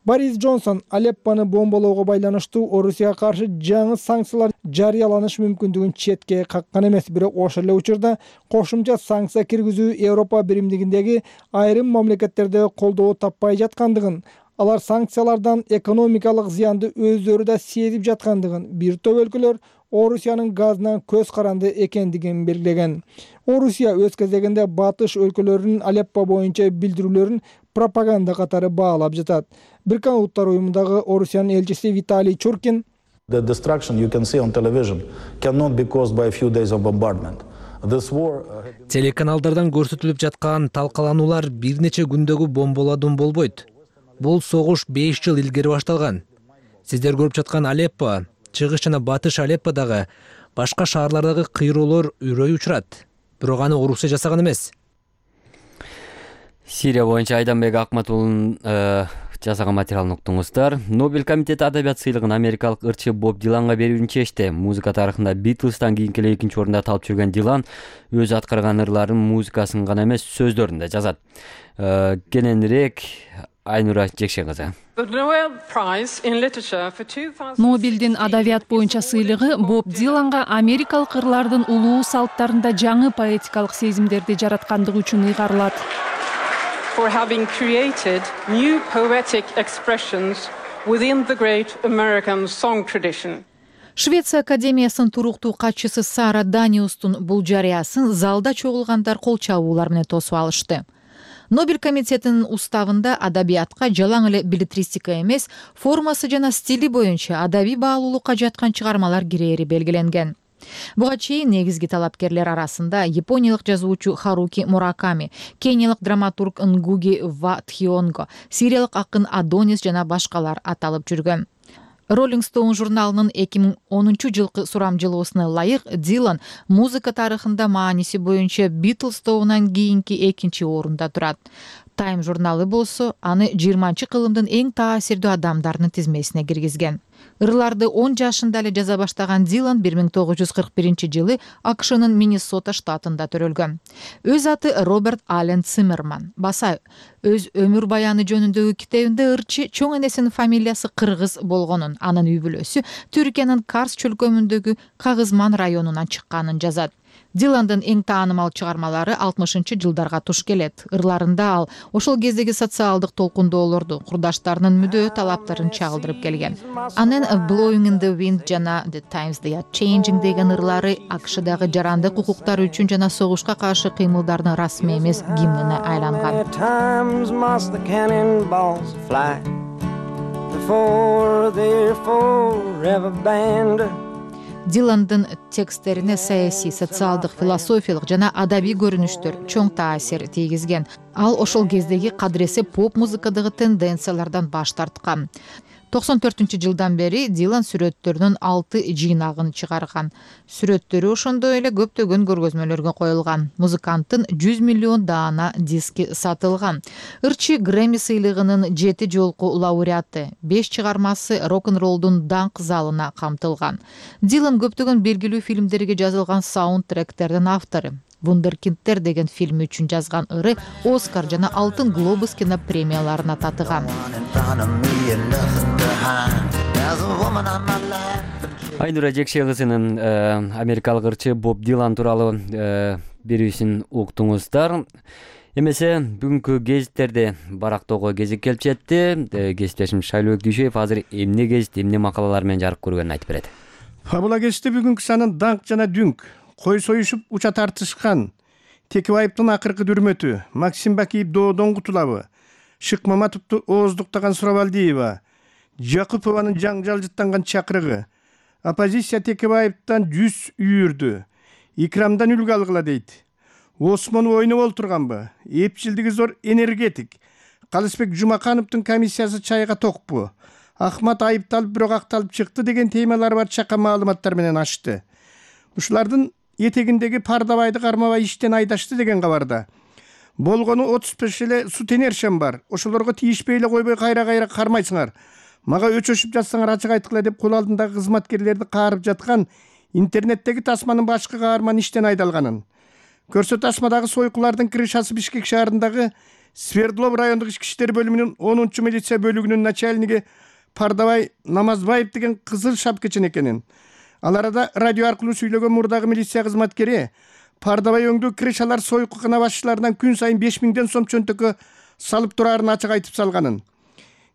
C: Борис Джонсон Алеппону бомбалоого байланыштуу Орусияга каршы жаңы санкциялар жарыяланыш мүмкүндүгүн четке каккан эмес, бирок ошол эле учурда кошумча санкция киргизүү Европа биримдигиндеги айрым мамлекеттерде колдоо таппай жаткандыгын, алар санкциялардан экономикалык зыянды өздөрү да сезип жаткандыгын, бир топ өлкөлөр Орусиянын газынан көз каранды экендигин белгилеген. Орусия өз кезегинде батыш өлкөлөрүнүн Алеппо боюнча билдирүүлөрүн пропаганда катары баалап жатат. Бириккен Улуттар уюмундагы Орусиянын элчиси Виталий Чуркин
I: The destruction you can see on television cannot be caused by a few days of bombardment. This war
H: Телеканалдардан көрсөтүлүп жаткан талкалануулар бир нече күндөгү бомбаладан болбойт. Бул согуш беш жыл илгери башталган. Сиздер көрүп жаткан Алеппо, чыгыш жана батыш Алепподагы башка шаарлардагы кыйроолор үрөй учурат. Бирок аны Орусия жасаган эмес.
A: Сирия боюнча Айданбек Акматулдун жасаган материалын уктуңуздар. Нобель комитети адабият сыйлыгын америкалык ырчы Боб Диланга берүүнү чечти. Музыка тарыхында Битлстан кийинки эле экинчи орунда талып жүргөн Дилан өзү аткарган ырларын музыкасын гана эмес, сөздөрүн да жазат. Кененирээк Айнура Жекшен кызы.
J: Нобелдин адабият боюнча сыйлыгы Боб Диланга америкалык ырлардын улуу салттарында жаңы поэтикалык сезимдерди жараткандыгы үчүн ыйгарылат.
K: For having created new poetic expressions within the great American song tradition.
J: Швеция академиясынын туруктуу катчысы Сара Даниустун бул жарыясын залда чогулгандар кол чабуулар менен тосуп алышты. Нобель комитетинин уставында адабиятка жалаң эле билетристика эмес, формасы жана стили боюнча адабий баалуулукка жаткан чыгармалар кирээри белгиленген. Буга чейин негизги талапкерлер арасында япониялык жазуучу Харуки Мураками, кениялык драматург Нгуги Ва Тхионго, сириялык акын Адонис жана башкалар аталып жүргөн. Rolling Stone журналынын эки миң онунчу жылкы сурамжылоосуна ылайык Дилан музыка тарыхында мааниси боюнча Beatles тобунан кийинки экинчи орунда турат. Time журналы болсо аны жыйырманчы кылымдын эң таасирдүү адамдарынын тизмесине киргизген. Ырларды он жашында эле жаза баштаган Дилан бир миң тогуз жүз кырк биринчи жылы АКШнын Миннесота штатында төрөлгөн. Өз аты Роберт Аллен Циммерман. Баса өз өмүр баяны жөнүндөгү китебинде ырчы чоң энесинин фамилиясы кыргыз болгонун, анын үй бүлөсү Түркиянын Карс чөлкөмүндөгү Кагызман районунан чыкканын жазат. Диландын эң таанымал чыгармалары алтымышынчы жылдарга туш келет. Ырларында ал ошол кездеги социалдык толкундоолорду, курдаштарынын мүдөө талаптарын чагылдырып келген. Анын Blowing in the Wind жана The Times They Are Changing деген ырлары АКШдагы жарандык укуктар үчүн жана согушка каршы кыймылдардын расмий эмес гимнине айланган. Диландын тексттерине саясий, социалдык, философиялык жана адабий көрүнүштөр чоң таасир тийгизген. Ал ошол кездеги кадыресе поп музыкадагы тенденциялардан баш тарткан. токсон төртүнчү жылдан бери Дилан сүрөттөрүнүн алты жыйнагын чыгарган. Сүрөттөрү ошондой эле көптөгөн көргөзмөлөргө коюлган. Музыканттын жүз миллион даана диски сатылган. Ырчы Грэмми сыйлыгынын жети жолку лауреаты, беш чыгармасы рок-н-роллдун даңк залына камтылган. Дилан көптөгөн белгилүү фильмдерге жазылган саундтректердин автору. Вундеркиндтер деген фильм үчүн жазган ыры Оскар жана Алтын глобус кино премияларына татыган.
A: Айнура Жекше кызынын америкалык ырчы Боб Дилан тууралуу берүүсүн уктуңуздар. Эмесе бүгүнкү гезиттерде барактоого кезек келип жетти. Кесиптешим Шайлообек Дүйшөев азыр эмне гезит, эмне макалалар менен жарык көргөнүн айтып берет.
L: Фабула гезити бүгүнкү санын даңк жана дүңк, кой союшуп уча тартышкан, Текебаевдин акыркы дүрмөтү, Максим Бакиев доодон кутулабы, Шык Маматовду ооздуктаган Сурабалдиева, Жакупованын жаңжал жыттанган чакырыгы, оппозиция Текебаевден жүз үйүрдү, Икрамдан үлгү алгыла дейт. Осмон ойноп олтурганбы, эпчилдиги зор энергетик, Калысбек Жумакановдун комиссиясы чайга токпу, Ахмат айыпталып бирок акталып чыкты деген темалар бар чака маалыматтар менен ачты. Ушулардын этегиндеги Пардабайды кармабай иштен айдашты деген кабарда. Болгону отуз беш эле сутенершем бар. Ошолорго тийишпей эле койбой кайра-кайра кармайсыңар. Мага өчөшүп жатсаңар ачык айткыла деп кол алдындагы кызматкерлерди каарып жаткан интернеттеги тасманын башкы каарман иштен айдалганын. Көрсө тасмадагы сойкулардын крышасы Бишкек шаарындагы Свердлов райондук ички иштер бөлүмүнүн онунчу милиция бөлүгүнүн начальниги Пардабай Намазбаев деген кызыл шапкачын экенин. Ал арада радио аркылуу сүйлөгөн мурдагы милиция кызматкери Пардабай өңдүү крышалар сойкукана башчыларынан күн сайын беш миңден сом чөнтөккө салып турарын ачык айтып салганын.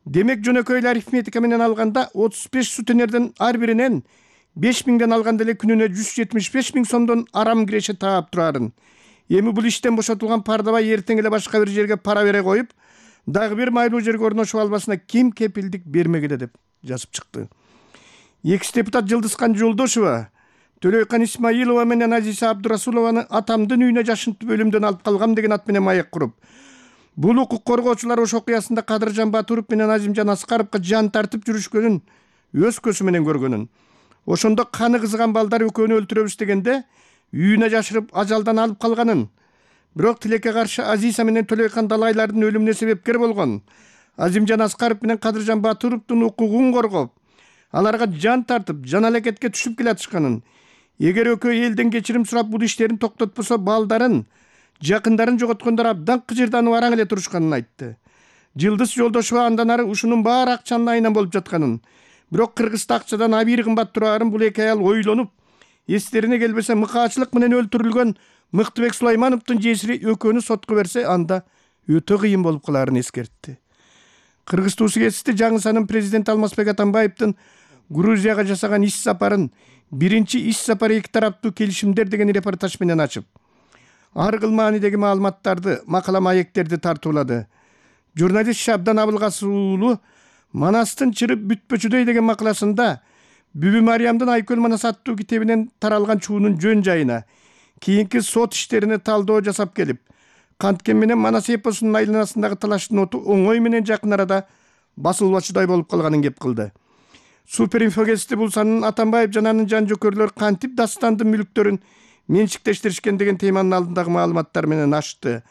L: Демек жөнөкөй эле арифметика менен алганда отуз беш сутенерден ар биринен беш миңден алганда эле күнүнө жүз жетимиш беш миң сомдон арам киреше таап турарын. Эми бул иштен бошотулган Пардабай эртең эле башка бир жерге пара бере коюп, дагы бир майлуу жерге орношуп албасына ким кепилдик бермегиле деп жазып чыкты. Экс депутат Жылдызкан Жолдошова Төлөйкан Исмаилова менен Азиса Абдурасулованы атамдын үйүнө жашынтып өлүмдөн алып калгам деген ат менен маек куруп, бул укук коргоочулар ошол окуясында Кадыржан Батуров менен Азимжан Аскаровго жан тартып жүрүшкөнүн өз көзү менен көргөнүн. Ошондо каны кызган балдар экөөнү өлтүрөбүз дегенде үйүнө жашырып ажалдан алып калганын. Бирок тилекке каршы Азиса менен Төлөйкан далайлардын өлүмүнө себепкер болгон. Азимжан Аскаров менен Кадыржан Батуровдун укугун коргоп, аларга жан тартып, жан алекетке түшүп келатышканын. Эгер экөө элден кечирим сурап бул иштерин токтотпосо балдарын, жакындарын жоготкондор абдан кыжырданып араң эле турушканын айтты. Жылдыз Жолдошова андан ары ушунун баары акчанын айынан болуп жатканын, бирок Кыргызда акчадан абийир кымбат турарын бул эки аял ойлонуп, эстерине келбесе мыкаачылык менен өлтүрүлгөн Мыктыбек Сулаймановдун жесири экөөнү сотко берсе, анда өтө кыйын болуп каларын эскертти. Кыргыз туусу гезити жаңысанын президент Алмазбек Атамбаевдин Грузияга жасаган иш сапарын биринчи иш сапары эки тараптуу келишимдер деген репортаж менен ачып, ар кыл маанидеги маалыматтарды, макала маектерди тартуулады. Журналист Шабдан Абылгасов уулу Манастын чырып бүтпөчүдөй деген макаласында Бүбү Мариямдын Айкөл Манас аттуу китебинен таралган чуунун жөн жайына, кийинки сот иштерине талдоо жасап келип, канткен менен Манас эпосунун айланасындагы талаштын оту оңой менен жакын арада басылбачудай болуп калганын кеп кылды. Суперинфо гезити бул санын Атамбаев жана анын жан жөкөрлөр кантип дастандын мүлктөрүн менчиктештиришкен деген теманын алдындагы маалыматтар менен ачты.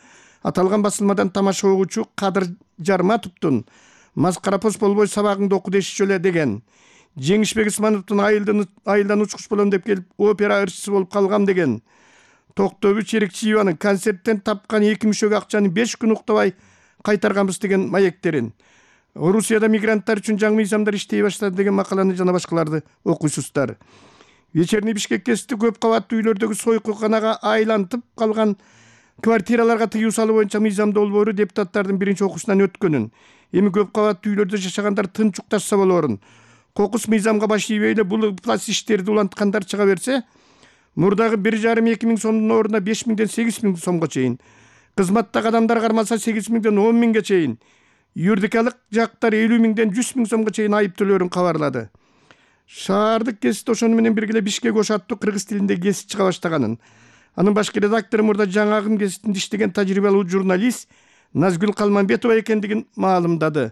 L: Аталган басылмадан тамаша угуучу Кадыр Жарматовдун Маскарапос болбой сабагыңды оку дешчү эле деген, Жеңишбек Исмановдун айылдан учкуч болом деп келип опера ырчысы болуп калгам деген, Токтобү Черекчиеванын концерттен тапкан эки мүшөгө акчаны беш күн уктабай кайтарганбыз деген маектерин, Орусияда мигранттар үчүн жаңы мыйзамдар иштей баштады деген макаланы жана башкаларды окуйсуздар. Вечерний Бишкек гезити көп кабаттуу үйлөрдөгү сойкуканага айлантып калган квартираларга тыюу салуу боюнча мыйзамды долбоору депутаттардын биринчи окуусунан өткөнүн, эми көп кабаттуу үйлөрдө жашагандар тынч укташса болорун, кокус мыйзамга баш ийбей эле бул плац иштерди уланткандар чыга берсе, мурдагы бир жарым эки миң сомдун ордуна беш миңден сегиз миң сомго чейин, кызматтагы адамдар кармалса сегиз миңден он миңге чейин, юридикалык жактар элүү миңден жүз миң сомго чейин айып төлөөрүн кабарлады. Шаардык гезит ошону менен бирге эле Бишкек ош аттуу кыргыз тилинде гезит чыга баштаганын, анын башкы редактору мурда жаңагын гезитинде иштеген тажрыйбалуу журналист Назгүл Калманбетова экендигин маалымдады.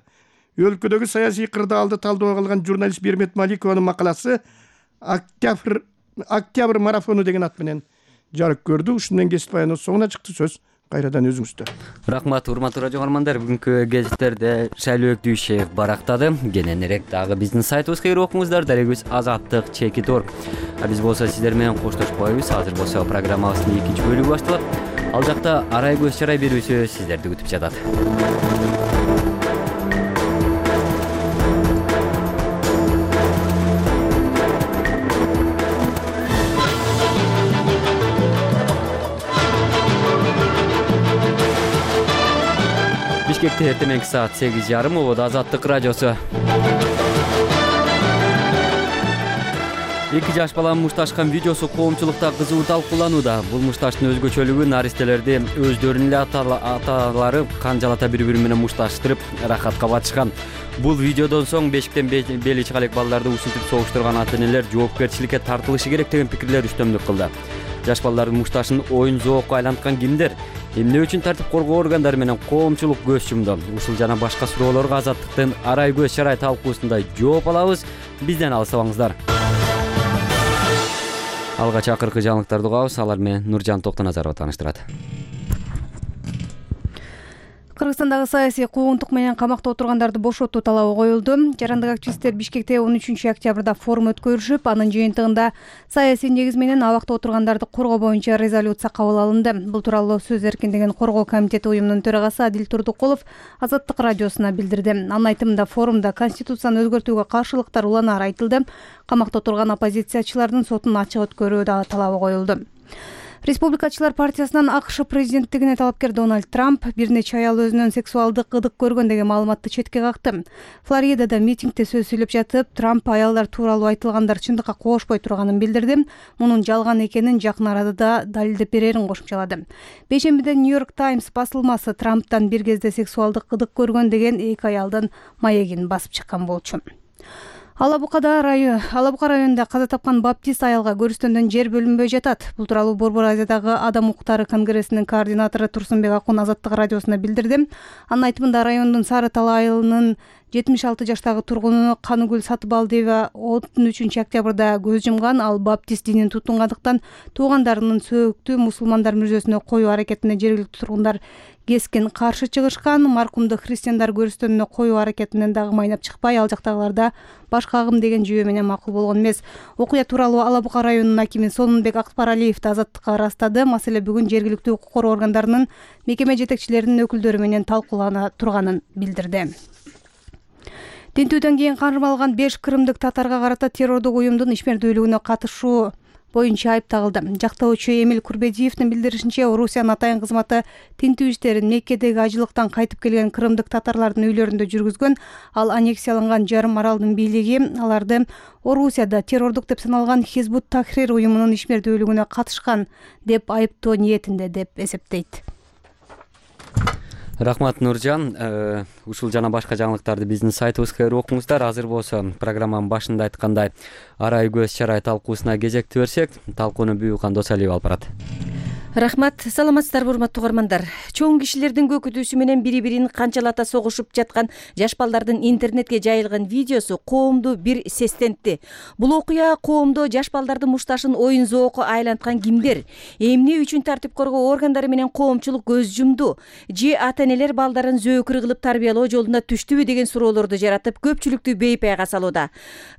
L: өлкөдөгү саясий кырдаалды талдоого алган журналист Бермет Маликованын макаласы Октябрь Октябрь марафону деген ат менен жарык көрдү. Ушун менен кесип баяноо соңуна чыкты. Сөз кайрадан өзүңүздө.
A: Рахмат, урматтуу радио каармандар. Бүгүнкү гезиттерде Шайлөөк Дүйшеев барактады. Кененирээк дагы биздин сайтыбызга кирип окуңуздар. Дарегибиз азаттык чекит точка орг. А биз болсо сиздер менен коштошпойбуз. Азыр болсо программабыздын экинчи бөлүгү башталат. Ал жакта арай көз чарай берүүсү сиздерди күтүп жатат. Бишкекте эртең саат сегиз жарым ободо Азаттык радиосу. Эки жаш баланын мушташкан видеосу коомчулукта кызуу талкууланууда. Бул мушташтын өзгөчөлүгү наристелерди өздөрүнүн эле аталары канжалата бири-бири менен мушташтырып рахатка батышкан. Бул видеодон соң бешиктен бели чыга элек балдарды ушинтип согуштурган ата-энелер жоопкерчиликке тартылышы керек деген пикирлер үстөмдүк кылды. Жаш балдардын мушташын оюн зоокко айланткан кимдер? Эмне үчүн тартип коргоо органдары менен коомчулук көз чумду? Ушул жана башка суроолорго Азаттыктын арай көз чарай талкуусунда жооп алабыз. Бизден алыстабаңыздар. Алгач акыркы жаңылыктарды угабыз. Алар менен Нуржан Токтоназарова тааныштырат.
D: Кыргызстандагы саясий куугунтук менен камакта отургандарды бошотуу талабы коюлду. Жарандык активисттер Бишкекте он үчүнчү октябрда форум өткөрүшүп, анын жыйынтыгында саясий негиз менен абакта отургандарды коргоо боюнча резолюция кабыл алынды. Бул тууралуу Сөз эркиндигин коргоо комитети уюмунун төрагасы Адил Турдукулов Азаттык радиосуна билдирди. Анын айтымында форумда конституцияны өзгөртүүгө каршылыктар уланаар айтылды. Камакта отурган оппозициячылардын сотун ачык өткөрүү дагы талабы коюлду. Республикачылар партиясынан АКШ президенттигине талапкер Дональд Трамп бир нече аял өзүнөн сексуалдык ырдык көргөн деген маалыматты четке какты. Флоридада митингде сөз сүйлөп жатып, Трамп аялдар тууралуу айтылгандар чындыкка кошпой турганын билдирди. Мунун жалган экенин жакын арада далилдеп берерин кошумчалады. Бейшембиде Нью-Йорк Таймс басылмасы Трамптан бир кезде сексуалдык ырдык көргөн деген эки аялдын маегин басып чыккан болчу. Алабукада район, Алабука районунда каза тапкан баптист аялга көрүстөндөн жер бөлүнбөй жатат. Бул тууралуу Борбор Азиядагы Адам укуктары конгрессинин координатору Турсунбек Акун Азаттык радиосуна билдирди. Анын айтымында райондун Сары Тал айылынын жетимиш алты жаштагы тургуну Каныгүл Сатыбалдиева он үчүнчү октябрда көз жумган. Ал баптист динин тутунгандыктан туугандарынын сөөктү мусулмандар мүрзөсүнө коюу аракетине жергиликтүү тургундар кескен каршы чыгышкан. Маркумду христиандар көрүстөнүнө коюу аракетинен дагы майнап чыкпай, ал жактагыларда башка агым деген жүйө менен макул болгон эмес. Окуя тууралуу Алабука районунун акими Сонунбек Акпаралиев Азаттыкка ырастады. Маселе бүгүн жергиликтүү укук коргоо органдарынын мекеме жетекчилеринин өкүлдөрү менен талкуулана турганын билдирди. Тинтүүдөн кийин кармалган беш кырымдык татарга карата террордук уюмдун ишмердүүлүгүнө катышуу боюнча айып тагылды. Жактоочу Эмил Курбедиевдин билдиришинче, Орусиянын атайын кызматы тинтүү иштерин Меккедеги ажылыктан кайтып келген кырымдык татарлардын үйлөрүндө жүргүзгөн. Ал аннексияланган жарым аралдын бийлиги аларды Орусияда террордук деп саналган Хизбут Тахрир уюмунун ишмердүүлүгүнө катышкан деп айыптоо ниетинде деп эсептейт.
A: Рахмат, Нуржан. Ушул жана башка жаңылыктарды биздин сайтыбызга кирип окуңуздар. Азыр болсо программанын башында айткандай арай көз чарай талкуусуна кезекти берсек, талкууну Бүйүкхан Досалиев алып барат.
M: Рахмат, саламатсыздарбы урматтуу угармандар. Чоң кишилердин көкүтүүсү менен бири-бирин канчалата согушуп жаткан жаш балдардын интернетке жайылган видеосу коомду бир сестентти. Бул окуя коомдо жаш балдардын мушташын оюн зоокко айланткан кимдер? Эмне үчүн тартип коргоо органдары менен коомчулук көз жумду? Же ата-энелер балдарын зөөкүр кылып тарбиялоо жолуна түштүбү деген суроолорду жаратып, көпчүлүктү бейпайга салууда.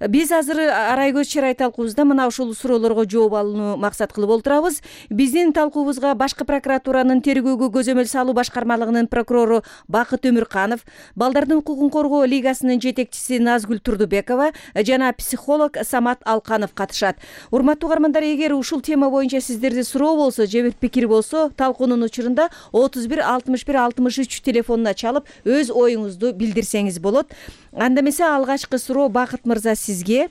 M: Биз азыр арай көз чарай талкуубузда мына ушул суроолорго жооп алууну максат кылып отурабыз. Биздин талкуу башкы прокуратуранын тергөөгө көзөмөл салуу башкармалыгынын прокурору Бакыт Өмүрканов, балдардын укугун коргоо лигасынын жетекчиси Назгүл Турдубекова жана психолог Самат Алканов катышат. Урматтуу угармандар, эгер ушул тема боюнча сиздерде суроо болсо же бир пикир болсо, талкуунун учурунда отуз бир алтымыш бир алтымыш үч телефонуна чалып өз оюңузду билдирсеңиз болот. Анда эмесе алгачкы суроо Бакыт мырза сизге.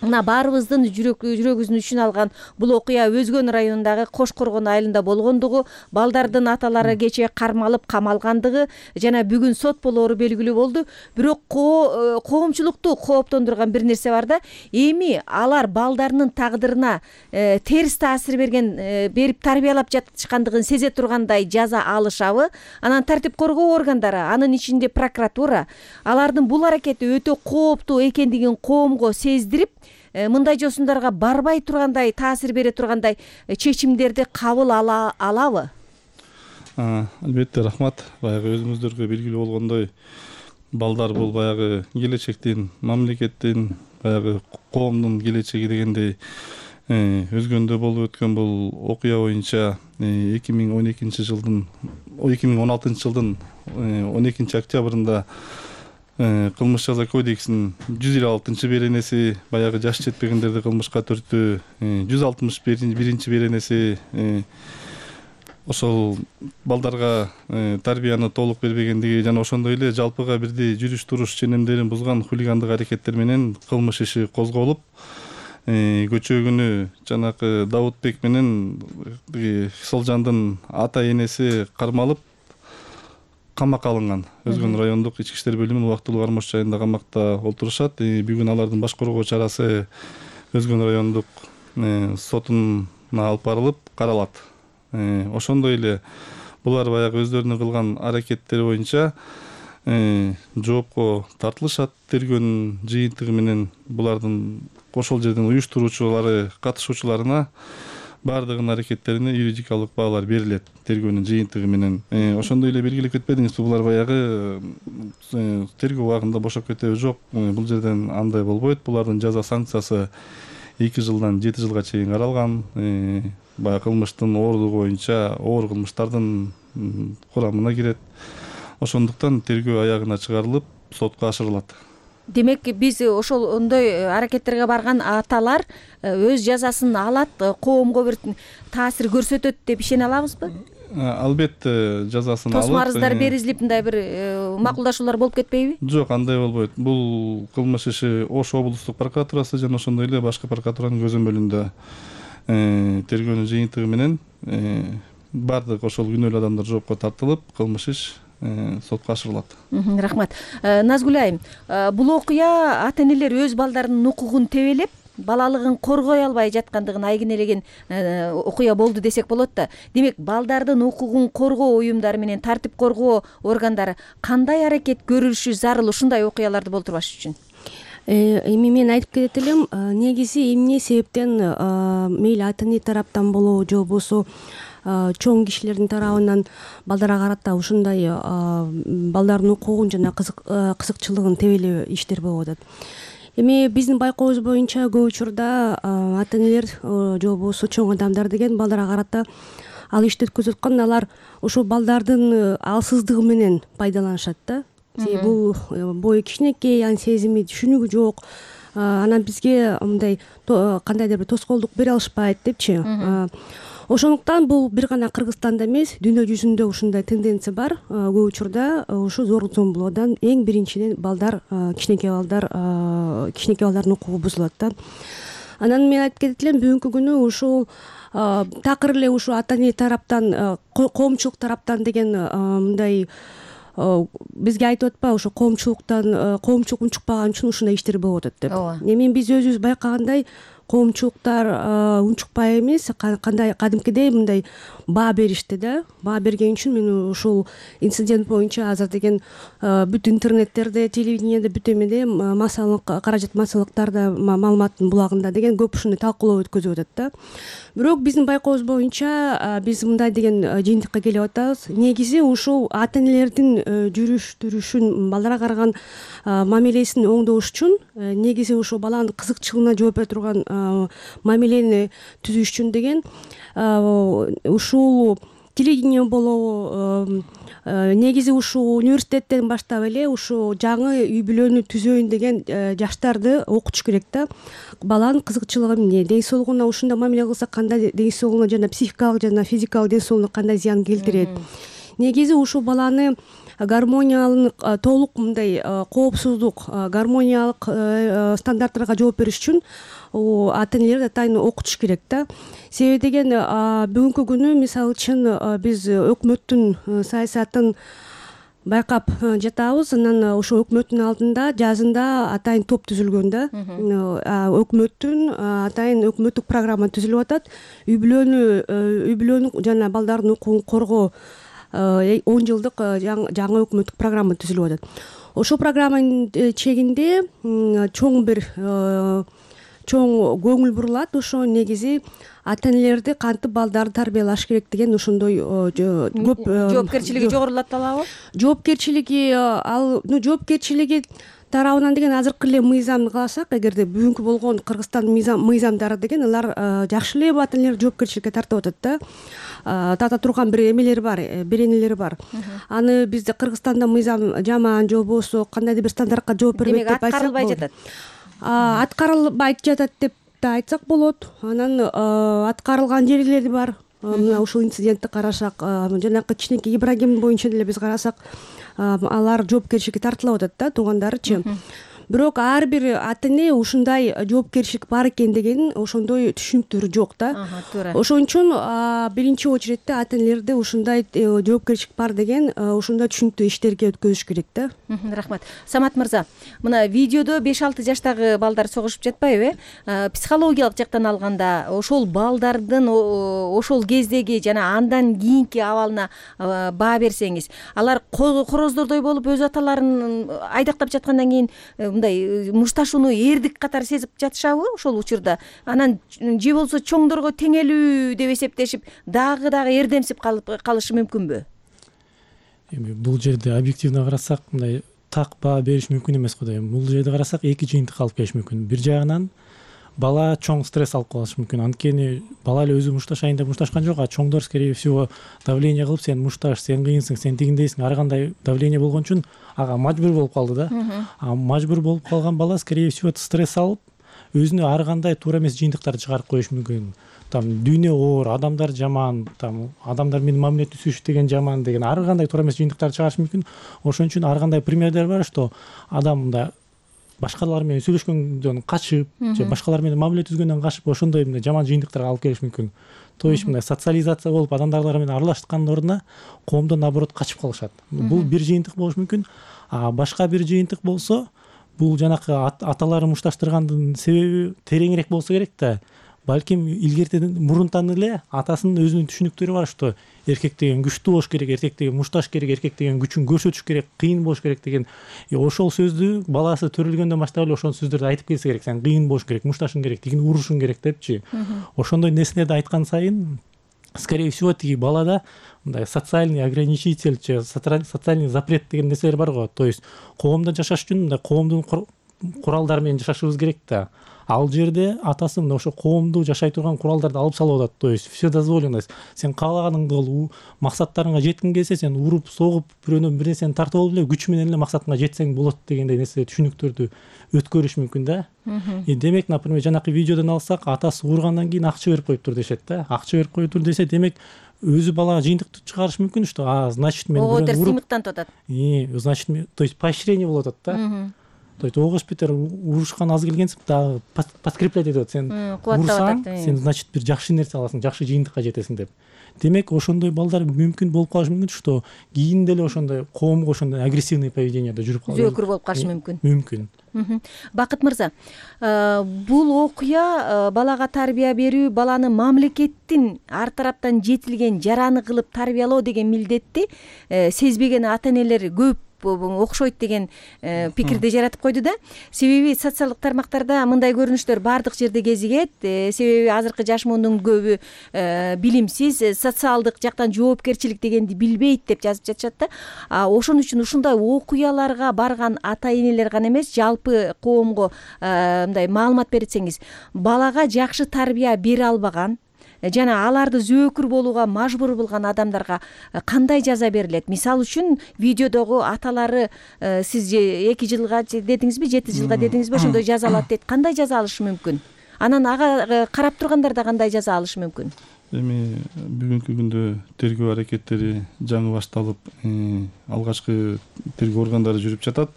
M: мына баарыбыздын жүрөгүбүздүн үчүн алган бул окуя Өзгөн районундагы Кош Коргон айылында болгондугу, балдардын аталары кечээ кармалып камалгандыгы жана бүгүн сот болоору белгилүү болду. Бирок коомчулукту кооптондурган бир нерсе бар да. Эми алар балдарынын тагдырына терс таасир берген берип тарбиялап жатышкандыгын сезе тургандай жаза алышабы? Анан тартип коргоо органдары, анын ичинде прокуратура алардын бул аракети өтө кооптуу экендигин коомго сездирип, мындай жосундарга барбай тургандай, таасир бере тургандай чечимдерди кабыл ала алабы?
N: Албетте, рахмат. Баягы өзүңүздөргө белгилүү болгондой, балдар бул баягы келечектин, мамлекеттин, баягы коомдун келечеги дегендей Өзгөндө болуп өткөн бул окуя боюнча эки миң он экинчи жылдын эки миң он алтынчы жылдын он экинчи октябрында кылмыш жаза кодексинин жүз элүү алтынчы беренеси баягы жаш жетпегендерди кылмышка төртүү, жүз алтымыш биринчи беренеси ошол балдарга тарбияны толук бербегендиги жана ошондой эле жалпыга бирдей жүрүш туруш ченемдерин бузган хулигандык аракеттер менен кылмыш иши козголуп, көчөгүнү жанакы Даутбек менен Солжандын ата энеси кармалып камакка алынган. Өзгөн райондук ички иштер бөлүмүнүн убактылуу кармош жайында камакта олтурушат. Бүгүн алардын баш коргоо чарасы Өзгөн райондук сотуна алып барылып каралат. Ошондой эле булар баягы өздөрүнүн кылган аракеттери боюнча жоопко тартылышат. Тергөөнүн жыйынтыгы менен булардын ошол жердин уюштуруучулары, катышуучуларына баардыгынын аракеттерине юридикалык баалар берилет тергөөнүн жыйынтыгы менен. Ошондой эле белгилеп кетпедиңизби, булар баягы тергөө убагында бошоп кетеби? Жок, бул жерден андай болбойт. Булардын жаза санкциясы эки жылдан жети жылга чейин каралган. Баягы кылмыштын оорлугу боюнча оор кылмыштардын курамына кирет. Ошондуктан тергөө аягына чыгарылып, сотко ашырылат.
M: Демек, биз ошол ондой аракеттерге барган аталар өз жазасын алат, коомго бир таасир көрсөтөт деп ишене алабызбы?
N: Албетте, жазасын алат.
M: Тосмо арыздар берилип, мындай бир макулдашуулар болуп кетпейби?
N: Жок, андай болбойт. Бул кылмыш иши Ош облустук прокуратурасы жана ошондой эле башкы прокуратуранын көзөмөлүндө тергөөнүн жыйынтыгы менен баардык ошол күнөөлүү адамдар жоопко тартылып, кылмыш иш сотко ашырылат.
M: Рахмат. Назгүл айым, бул окуя ата энелер өз балдарынын укугун тебелеп, балалыгын коргой албай жаткандыгын айгинелеген окуя болду десек болот да. Демек, балдардын укугун коргоо уюмдары менен тартип коргоо органдары кандай аракет көрүлүшү зарыл ушундай окуяларды болтурбаш үчүн?
O: Эми мен айтып кетет элем, негизи эмне себептен мейли ата эне тараптан болобу же болбосо чоң кишилердин тарабынан балдарга карата ушундай балдардын укугун жана кызыкчылыгын тебелөө иштер болуп атат. Эми биздин байкообуз боюнча көп учурда ата энелер же болбосо чоң адамдар деген балдарга карата ал ишти өткөзүп аткан, алар ошол балдардын алсыздыгы менен пайдаланышат да. Бул бою кичинекей, анын сезими, түшүнүгү жок. Анан бизге мындай кандайдыр бир тоскоолдук бере алышпайт депчи. Ошондуктан бул бир гана Кыргызстанда эмес, дүйнө жүзүндө ушундай тенденция бар. Көп учурда ушу зорлук зомбулоодон эң биринчиден балдар, кичинекей балдар, кичинекей балдардын укугу бузулат да. Анан мен айтып кетет элем, бүгүнкү күнү ушул такыр эле ушу ата эне тараптан, коомчулук тараптан деген мындай бизге айтып атпайбы, ошо коомчулуктан, коомчулук унчукпаган үчүн ушундай иштер болуп атат деп. Эми биз өзүбүз байкагандай коомчулуктар унчукпай эмес, кандай кадимкидей мындай баа беришти да. Баа берген үчүн мен ушул инцидент боюнча азыр деген бүт интернеттерде, телевидениеде, бүт эмеде массалык каражат массалыктарда, маалыматтын булагында деген көп ушундай талкуулоо өткөзүп атат да. Бирок биздин байкообуз боюнча биз мындай деген жыйынтыкка келип атабыз. Негизи ушул ата энелердин жүрүш турушун, балдарга караган мамилесин оңдош үчүн негизи ушул баланын кызыкчылыгына жооп бере турган мамилени түзүш үчүн деген ушул телевидение болобу, негизи ушул университеттен баштап эле ушул жаңы үй бүлөнү түзөйүн деген жаштарды окутуш керек да. Баланын кызыкчылыгы эмне, ден соолугуна ушундай мамиле кылса кандай ден соолугуна жана психикалык жана физикалык ден соолугуна кандай зыян келтирет. Негизи ушул баланы гармониялык толук мындай коопсуздук гармониялык стандарттарга жооп бериш үчүн ата энелер атайын окутуш керек да. Себеби деген бүгүнкү күнү мисалы үчүн биз өкмөттүн саясатын байкап жатабыз. Анан ошо өкмөттүн алдында жазында атайын топ түзүлгөн да. Өкмөттүн атайын өкмөттүк программа түзүлүп атат. Үй бүлөнү үй бүлөнү жана балдардын укугун коргоо он жылдык жаңы өкмөттүк программа түзүлүп атат. Ошол программанын чегинде чоң бир чоң көңүл бурулат. Ошо негизи ата энелерди кантип балдарды тарбиялаш керек деген ошондой көп
M: жоопкерчилиги жогорулат талабы.
O: Жоопкерчилиги ал жоопкерчилиги тарабынан деген азыркы эле мыйзамды кааласак, эгерде бүгүнкү болгон Кыргызстандын мыйзамдары деген алар жакшы эле ата энелерди жоопкерчиликке тартып атат да. Тарта турган бир эмелери бар, беренелери бар. Аны бизде Кыргызстанда мыйзам жаман же болбосо кандайдыр бир стандартка жооп бербейт деп айтсак болот. Демек аткарылбай жатат. Аткарылбайт жатат деп да айтсак болот. Анан аткарылган жерлери бар. Мына ушул инцидентти карасак, жанакы кичинекей Ибрагим боюнча деле биз карасак, алар жоопкерчиликке тартылып атат да, туугандарычы. Бирок ар бир ата эне ушундай жоопкерчилик бар экен деген ошондой түшүнүктөр жок да. Ошон үчүн биринчи очередте ата энелерди ушундай жоопкерчилик бар деген ушундай түшүнүктүү иштерге өткөзүш керек да.
M: Рахмат. Самат мырза, мына видеодо беш алты жаштагы балдар согушуп жатпайбы? Психологиялык жактан алганда ошол балдардын ошол кездеги жана андан кийинки абалына баа берсеңиз, алар короздордой болуп өз аталарын айдактап жаткандан кийин мындай мушташууну эрдик катары сезип жатышабы ошол учурда? Анан же болбосо чоңдорго теңелүү деп эсептешип дагы дагы эрдемсип калышы мүмкүнбү?
P: Эми бул жерде объективно карасак, мындай так баа бериш мүмкүн эмес го да. Бул жерде карасак эки жыйынтык алып келиш мүмкүн. Бир жагынан бала чоң стресс алып калышы мүмкүн. Анткени бала эле өзү мушташайын деп мушташкан жок, а чоңдор скорее всего давление кылып, сен мушташ, сен кыйынсың, сен тигиндейсиң, ар кандай давление болгон үчүн ага мажбур болуп калды да. А мажбур болуп калган бала скорее всего стресс алып, өзүнө ар кандай туура эмес жыйынтыктарды чыгарып коюшу мүмкүн. Там дүйнө оор, адамдар жаман, там адамдар менин мамиле түзүшү деген жаман деген ар кандай туура эмес жыйынтыктарды чыгарышы мүмкүн. Ошон үчүн ар кандай примерлер бар, что адам мындай башкалар менен сүйлөшкөндөн качып, же башкалар менен мамиле түзгөндөн качып, ошондой мындай жаман жыйынтыктарга алып келиш мүмкүн. То есть мындай социализация болуп адамдар менен аралашкандын ордуна коомдон наоборот качып калышат. Бул бир жыйынтык болушу мүмкүн. А башка бир жыйынтык болсо, бул жанакы аталары мушташтыргандын себеби тереңирээк болсо керек да. Балким илгертеден мурунтан эле атасынын өзүнүн түшүнүктөрү бар, что эркек деген күчтүү болуш керек, эркек деген мушташ керек, эркек деген күчүн көрсөтүш керек, кыйын болуш керек деген ошол сөздү баласы төрөлгөндөн баштап эле ошол сөздөрдү айтып келсе керек. Сен кыйын болуш керек, мушташың керек, тигини урушуң керек депчи. Ошондой нерселерди айткан сайын скорее всего тиги балада мындай социальный ограничитель же социальный запрет деген нерселер бар го. То есть коомдо жашаш үчүн мындай коомдун куралдары менен жашашыбыз керек да. Ал жерде атасы мына ошо коомду жашай турган куралдарды алып салып атат. То есть все дозволено. Сен каалаганыңды кыл, максаттарыңа жеткиң келсе, сен уруп, согуп, бирөөнөн бир нерсени тартып алып эле күч менен эле максатыңа жетсең болот дегендей нерсе түшүнүктөрдү өткөрүш мүмкүн да. И демек, например, жанакы видеодон алсак, атасы ууругандан кийин акча берип коюптур дешет да. Акча берип коюптур десе, демек өзү балага жыйынтыкты чыгарыш мүмкүн, что а значит мен
M: ого терс сыймыктантып атат.
P: И значит, то есть поощрение болуп атат да. То есть огош бетер урушкан аз келгенсип дагы подкреплять этип атат. Сен урсаң, сен значит бир жакшы нерсе аласың, жакшы жыйынтыкка жетесиң деп. Демек ошондой балдар мүмкүн болуп калышы мүмкүн, что кийин деле ошондой коомго ошондой агрессивный поведенияда жүрүп калышы
M: зөөкүр болуп калышы мүмкүн.
P: Мүмкүн.
M: Бакыт мырза, бул окуя балага тарбия берүү, баланы мамлекеттин ар тараптан жетилген жараны кылып тарбиялоо деген милдетти сезбеген ата энелер көп окшойт деген пикирди жаратып койду да. Себеби социалдык тармактарда мындай көрүнүштөр бардык жерде кезигет. Себеби азыркы жаш мундун көбү билимсиз, социалдык жактан жоопкерчилик дегенди билбейт деп жазып жатышат да. Ошон үчүн ушундай окуяларга барган ата энелер гана эмес, жалпы коомго мындай маалымат берсеңиз, балага жакшы тарбия бере албаган жана аларды зөөкүр болууга мажбур болгон адамдарга кандай жаза берилет? Мисалы үчүн видеодогу аталары сиз эки жылга дедиңизби, жети жылга дедиңизби, ошондой жазалат дейт. Кандай жаза алышы мүмкүн? Анан ага карап тургандар да кандай жаза алышы мүмкүн?
N: эми бүгүнкү күндө тергөө аракеттери жаңы башталып, алгачкы тергөө органдары жүрүп жатат.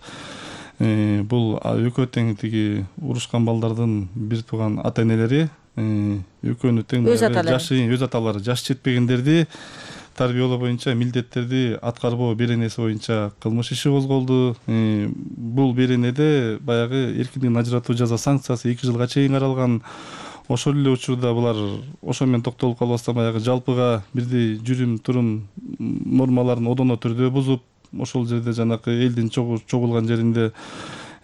N: Бул экөө тең тиги урушкан балдардын бир тууган ата энелери, экөөнү тең жашы өз аталары жаш жетпегендерди тарбиялоо боюнча милдеттерди аткарбоо беренеси боюнча кылмыш иши козголду. Бул беренеде баягы эркиндигин ажыратуу жаза санкциясы эки жылга чейин каралган. Ошол эле учурда булар ошо менен токтолуп калбастан баягы жалпыга бирдей жүрүм турум нормаларын одоно түрдө бузуп, ошол жерде жанакы элдин чогулган жеринде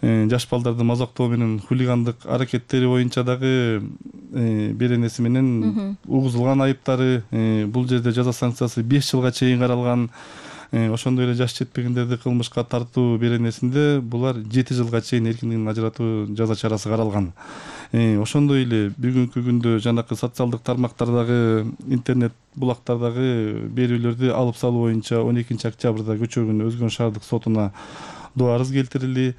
N: жаш балдарды мазактоо менен хулигандык аракеттери боюнча дагы беренеси менен угузулган айыптары, бул жерде жаза санкциясы беш жылга чейин каралган. Ошондой эле жаш жетпегендерди кылмышка тартуу беренесинде булар жети жылга чейин эркиндигин ажыратуу жаза чарасы каралган. Ошондой эле бүгүнкү күндө жанакы социалдык тармактардагы, интернет булактардагы берүүлөрдү алып салуу боюнча он экинчи октябрда Көчөгүн Өзгөн шаардык сотуна доо арыз келтирилди.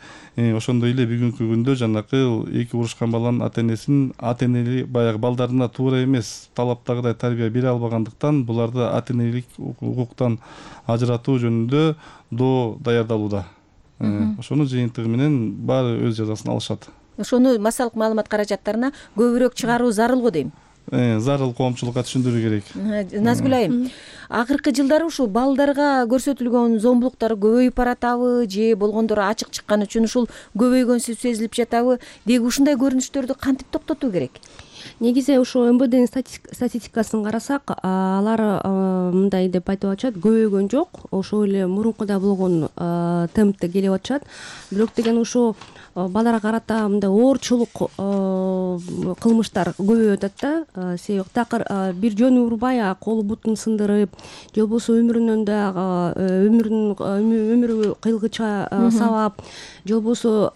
N: Ошондой эле бүгүнкү күндө жанакы эки урушкан баланын ата энесин ата энелик баягы балдарына туура эмес талаптагыдай тарбия бере албагандыктан буларды ата энелик укуктан ажыратуу жөнүндө доо даярдалууда. Ошонун жыйынтыгы менен баары өз жазасын алышат.
M: Ошону массалык маалымат каражаттарына көбүрөөк чыгаруу зарыл го дейм.
N: Зарыл коомчулукка түшүндүрүү керек.
M: Назгүл айым, акыркы жылдары ушул балдарга көрсөтүлгөн зомбулуктар көбөйүп баратабы же болгондор ачык чыккан үчүн ушул көбөйгөнсү сезилип жатабы? Деги ушундай көрүнүштөрдү кантип токтотуу керек?
O: Негизи ошо эм бэ днин статистикасын карасак, алар мындай деп айтып атышат, көбөйгөн жок. Ошол эле мурункуда болгон темпте келип атышат. Бирок деген ошо балдарга карата мындай оорчулук кылмыштар көбөйүп атат да. Себеби такыр бир жөн урбай, колу бутун сындырып, же болбосо өмүрүнөн да өмүрүн өмүрү кыйылгычка сабап, же болбосо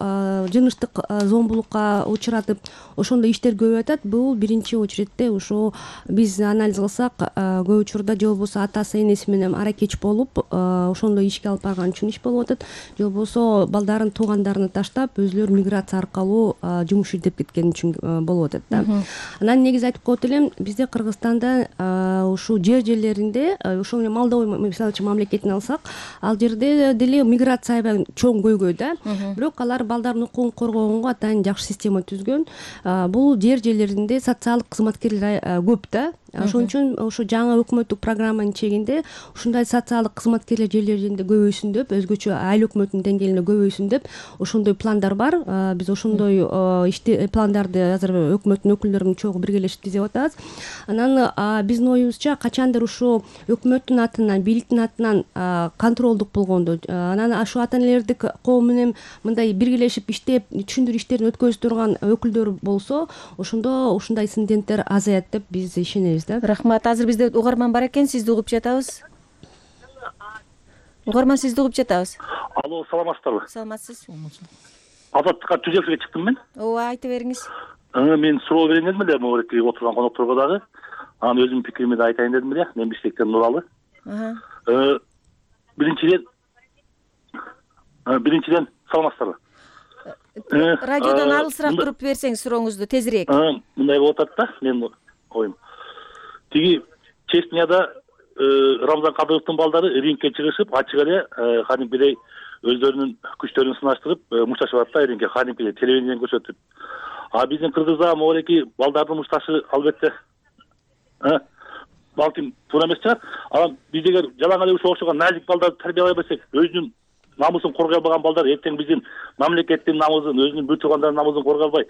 O: жыныстык зомбулукка учуратып, ошондой иштер көбөйүп атат. Бул биринчи очередте ошо биз анализ кылсак, көп учурда же болбосо атасы энеси менен аракеч болуп, ошондой ишке алып барган үчүн иш болуп атат. Же болбосо балдарын туугандарына таштап, өзүлөрү миграция аркылуу жумуш издеп кеткен үчүн болуп атат да. Анан негизи айтып коет элем, бизде Кыргызстанда ушул жер жерлеринде, ошол менен Молдова мисалы үчүн мамлекетин алсак, ал жерде деле миграция аябай чоң көйгөй да. Бирок алар балдардын укугун коргогонго атайын жакшы система түзгөн. Бул жер жерлеринде социалдык кызматкерлер көп да. Ошон үчүн ошо жаңы өкмөттүк программанын чегинде ушундай социалдык кызматкерлер жерлеринде көбөйсүн деп, өзгөчө айыл өкмөтүнүн деңгээлинде көбөйсүн деп ошондой пландар бар. Биз ошондой ишти пландарды азыр өкмөттүн өкүлдөрү чогуу биргелешип түзүп атабыз. Анан биздин оюбузча качандыр ушул өкмөттүн атынан, бийликтин атынан контролдук болгондо, анан ошо ата энелерди коом менен мындай биргелешип иштеп, түшүндүрүү иштерин өткөзүп турган өкүлдөр болсо, ошондо ушундай инциденттер азаят деп биз ишенебиз.
M: Рахмат. Азыр бизде угарман бар экен, сизди угуп жатабыз. Угарман, сизди угуп жатабыз.
Q: Алло, саламатсыздарбы?
M: Саламатсыз.
Q: Азаттыкка түзөкчүгө чыктым мен.
M: Ооба, айтып бериңиз.
Q: Мен суроо берейин дедим эле, могуреки отурган конокторго дагы. Анан өзүмдүн пикиримди да айтайын дедим эле. Мен Бишкектен Нуралы. Биринчиден Биринчиден саламатсыздарбы?
M: Радиодон алысыраак туруп берсеңиз сурооңузду тезирээк.
Q: Мындай болуп атат да, мен оюм. Тиги Чечняда Рамзан Кадыровдун балдары рингке чыгышып, ачык эле кадимкидей өздөрүнүн күчтөрүн сынаштырып, мушташып атат да рингке, кадимкидей телевидениеден көрсөтүп. А биздин Кыргызда могуреки балдардын мушташы албетте балким туура эмес чыгар. Анан биз эгер жалаң эле ушул окшогон назик балдарды тарбиялай берсек, өзүнүн намысын коргой албаган балдар эртең биздин мамлекеттин намысын, өзүнүн бир туугандарынын намысын коргой албай,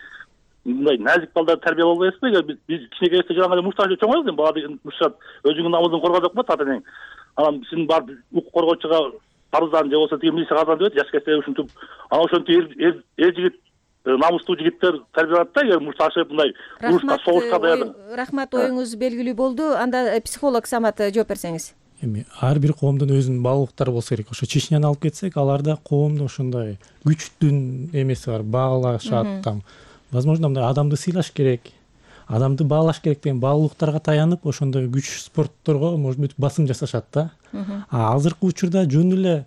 Q: мындай назик балдарды тарбиялай албайбызбы? Эгер биз кичинекейибизде жалаң эле мушташ чоңойбуз, бала мушташат, өзүңдүн намысын коргой деп коет ата энең. Анан сен барып укук коргоочуга арыздан же болбосо тиги милицияга арыздан деп жаш кезде ушинтип, анан ошентип эр жигит, намыстуу жигиттер тарбияланат да, эгер мушташып мындай урушка, согушка даярдык.
M: Рахмат, оюңуз белгилүү болду. Анда психолог Самат жооп берсеңиз.
P: Эми ар бир коомдун өзүнүн баалуулуктары болсо керек. Ошо Чечняны алып кетсек, аларда коомдун ошондой күчтүн эмеси бар, баалашат там. Возможно, мындай адамды сыйлаш керек, адамды баалаш керек деген баалуулуктарга таянып, ошондой күч спортторго, может быть, басым жасашат да. А азыркы учурда жөн эле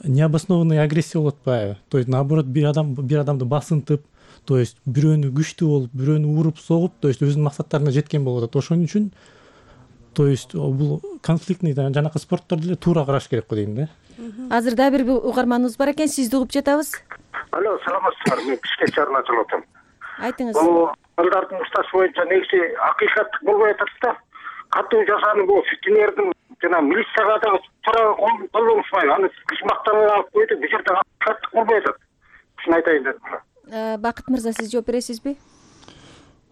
P: необоснованный агрессия болуп атпайбы? То есть наоборот, бир адам бир адамды басынтып, то есть бирөөнү күчтүү болуп, бирөөнү уруп, согуп, то есть өзүнүн максаттарына жеткен болуп атат. Ошон үчүн то есть бул конфликтный жанакы спортторду эле туура караш керек го дейм да.
M: Азыр дагы бир угарманыбыз бар экен, сизди угуп жатабыз.
R: Алло, саламатсыздарбы? Мен Бишкек шаарынан чыгып атам.
M: Айтыңыз.
R: Бул балдардын укташ боюнча негизи акыйкаттык болбой атат да. Катуу жазаны бул фитнердин жана милицияга дагы туура колдонушпайбы. Аны биз мактанып алып койдук, бул жерде акыйкаттык болбой атат. Ушуну айтайын дедим.
M: Бакыт мырза, сиз жооп бересизби?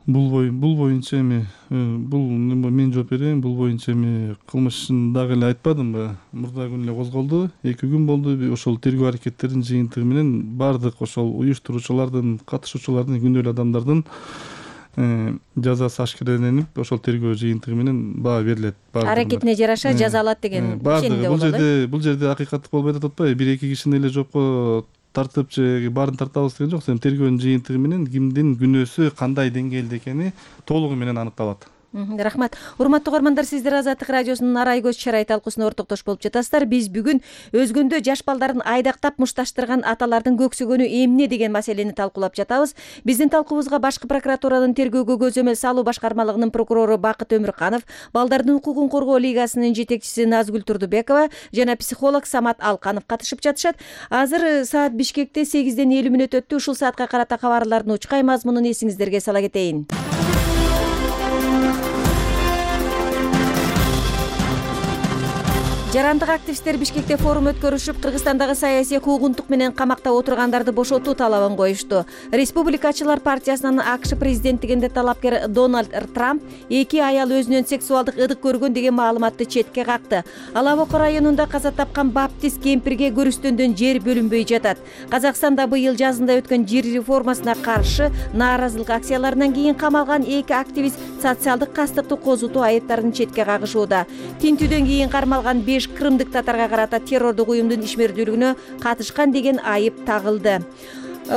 N: Бул бой бул боюнча эми бул мен жооп берейин. Бул боюнча эми кылмышын дагы эле айтпадымбы? Мурда күн эле козголду. эки күн болду. Ошол тергөө аракеттеринин жыйынтыгы менен бардык ошол уюштуруучулардын, катышуучулардын, күнөөлүү адамдардын жазасы ашкереленип, ошол тергөө жыйынтыгы менен баа берилет.
M: Аракетине жараша жазалат деген ишенимде
N: бул
M: болот.
N: жерде бул жерде акыйкаттык болбой атат атпайбы? Бир эки кишини эле жопко тартып же баарын тартабыз деген жок. Тергөөнүн жыйынтыгы менен кимдин күнөөсү кандай деңгээлде экени толугу менен аныкталат.
M: Рахмат. Урматтуу угармандар, сиздер Азаттык радиосунун арай көз чарай талкуусуна ортоктош болуп жатасыздар. Биз бүгүн өзгөндө жаш балдарын айдактап мушташтырган аталардын көксөгөнү эмне деген маселени талкуулап жатабыз. Биздин талкуубузга Башкы прокуратуранын тергөөгө көзөмөл салуу башкармалыгынын прокурору Бакыт Өмүрканов, Балдардын укугун коргоо лигасынын жетекчиси Назгүл Турдубекова жана психолог Самат Алканов катышып жатышат. Азыр саат Бишкекте сегизден элүү мүнөт өттү. Ушул саатка карата кабарлардын учкай мазмунун эсиңиздерге сала кетейин. Жарандык активисттер Бишкекте форум өткөрүшүп, Кыргызстандагы саясий куугунтук менен камакта отургандарды бошотуу талабын коюшту. Республикачылар партиясынын АКШ президенттигинде талапкер Дональд Трамп эки аял өзүнөн сексуалдык ыдык көргөн деген маалыматты четке какты. Ала Боко районунда каза тапкан баптист кемпирге көрүстөндөн жер бөлүнбөй жатат. Казакстанда быйыл жазында өткөн жер реформасына каршы нааразылык акцияларынан кийин камалган эки активист социалдык кастыкты козутуу айыптарын четке кагышууда. Тинтүүдөн кийин кармалган беш кырымдык татарга карата террордук уюмдун ишмердүүлүгүнө катышкан деген айып тагылды.